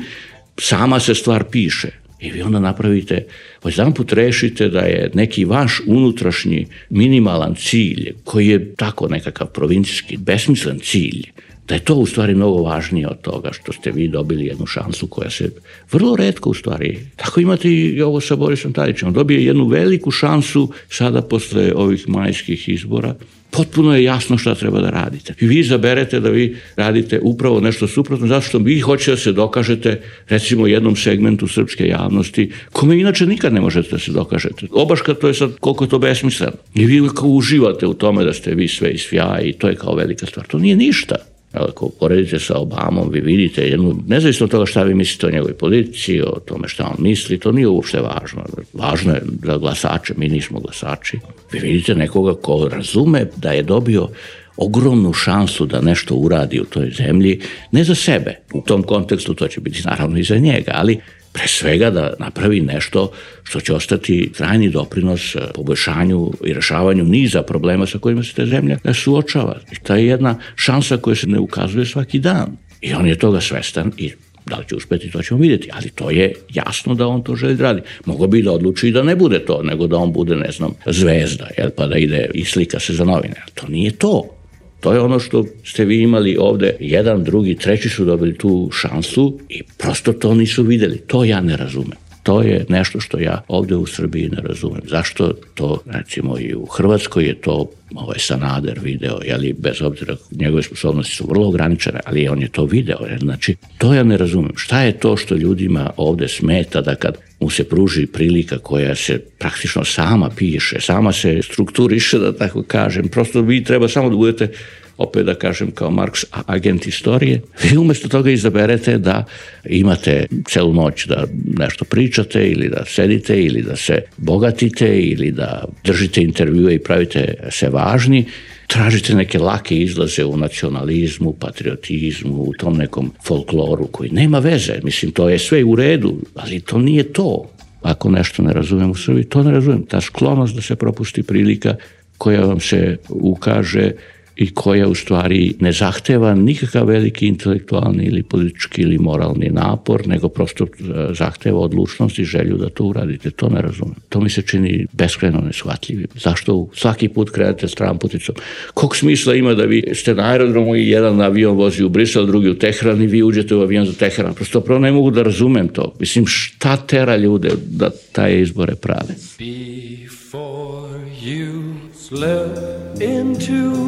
sama se stvar piše. I vi onda napravite, već jedan put rešite da je neki vaš unutrašnji minimalan cilj, koji je tako nekakav provincijski, besmislen cilj, da je to u stvari mnogo važnije od toga što ste vi dobili jednu šansu koja se vrlo retko u stvari. Tako imate i ovo sa Borisom Tadićem. On dobije jednu veliku šansu sada posle ovih majskih izbora. Potpuno je jasno šta treba da radite. I vi izaberete da vi radite upravo nešto suprotno, zato što vi hoćete da se dokažete recimo jednom segmentu srpske javnosti, kome inače nikad ne možete da se dokažete. Obaška to je sad koliko je to besmisleno. I vi kao uživate u tome da ste vi sve isfjaji i to je kao velika stvar. To nije ništa. Ako poredite sa Obamom, vi vidite jednu, nezavisno od toga šta vi mislite o njegovoj politici, o tome šta on misli, to nije uopšte važno. Važno je za glasače, mi nismo glasači. Vi vidite nekoga ko razume da je dobio ogromnu šansu da nešto uradi u toj zemlji, ne za sebe. U tom kontekstu to će biti naravno i za njega, ali pre svega da napravi nešto što će ostati trajni doprinos poboljšanju i rešavanju niza problema sa kojima se ta zemlja suočava. I to je jedna šansa koja se ne ukazuje svaki dan. I on je toga svestan i da li će uspeti, to ćemo vidjeti, ali to je jasno da on to želi da radi. Mogo bi da odluči i da ne bude to, nego da on bude, ne znam, zvezda, pa da ide i slika se za novine. To nije to. To je ono što ste vi imali ovde, jedan, drugi, treći su dobili tu šansu i prosto to nisu videli. To ja ne razumem. To je nešto što ja ovde u Srbiji ne razumem. Zašto to, recimo i u Hrvatskoj je to Sanader video, bez obzira njegove sposobnosti su vrlo ograničene, ali on je to video. Znači, to ja ne razumem. Šta je to što ljudima ovde smeta da kad mu se pruži prilika koja se praktično sama piše, sama se strukturiše, da tako kažem, prosto vi treba samo da budete, opet da kažem kao Marks, agent istorije. Vi umesto toga izaberete da imate celu noć da nešto pričate ili da sedite ili da se bogatite ili da držite intervjue i pravite se važni. Tražite neke lake izlaze u nacionalizmu, patriotizmu, u tom nekom folkloru koji nema veze. Mislim, to je sve u redu, ali to nije to. Ako nešto ne razumem u Srbiji, to ne razumem. Ta sklonost da se propusti prilika koja vam se ukaže i koja u stvari ne zahteva nikakav veliki intelektualni ili politički ili moralni napor, nego prosto zahteva odlučnost i želju da to uradite. To ne razumem. To mi se čini beskrajno neshvatljivim. Zašto svaki put krenete stramputicom? Kog smisla ima da vi ste na aerodromu i jedan avion vozi u Brisel, drugi u Teheran i vi uđete u avion za Teheran? Prosto prvo ne mogu da razumem to. Mislim, šta tera ljude da taj izbore prave? Before you slip into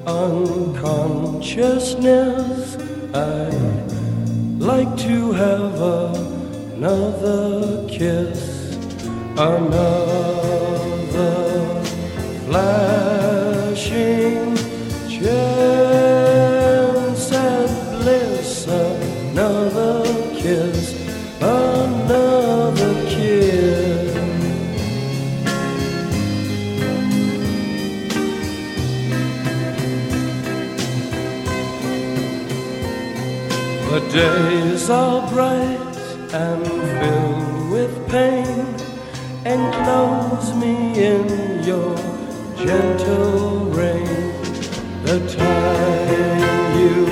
unconsciousness, I'd like to have another kiss, another flashing chance at bliss, another kiss, another kiss. The days are bright and filled with pain. Enclose me in your gentle rain. The time you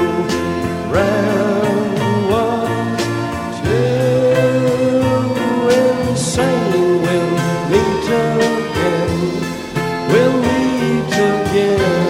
ran was too insane. We'll meet again. We'll meet again.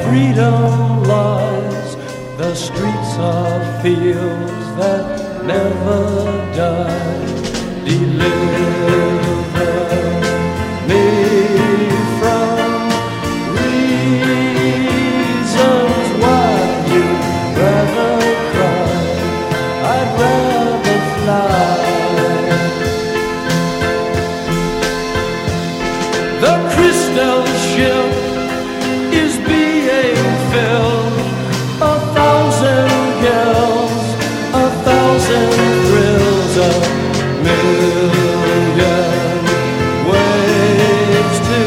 Freedom lies, the streets are fields that never die. Deliver me from reasons why you'd rather cry. million ways to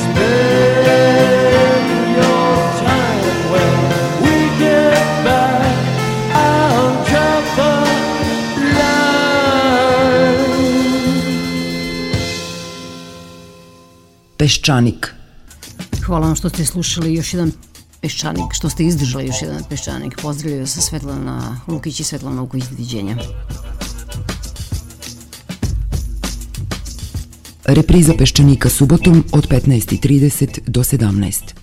spend your time when we get back on cover line. Peščanik. Hvala vam što ste slušali još jedan Peščanik, što ste izdržali još jedan Peščanik. Pozdravljaju se Svetlana Lukić i Svetlana Vuković, doviđenja. Repriza Peščanika subotom od 15:30 do 17.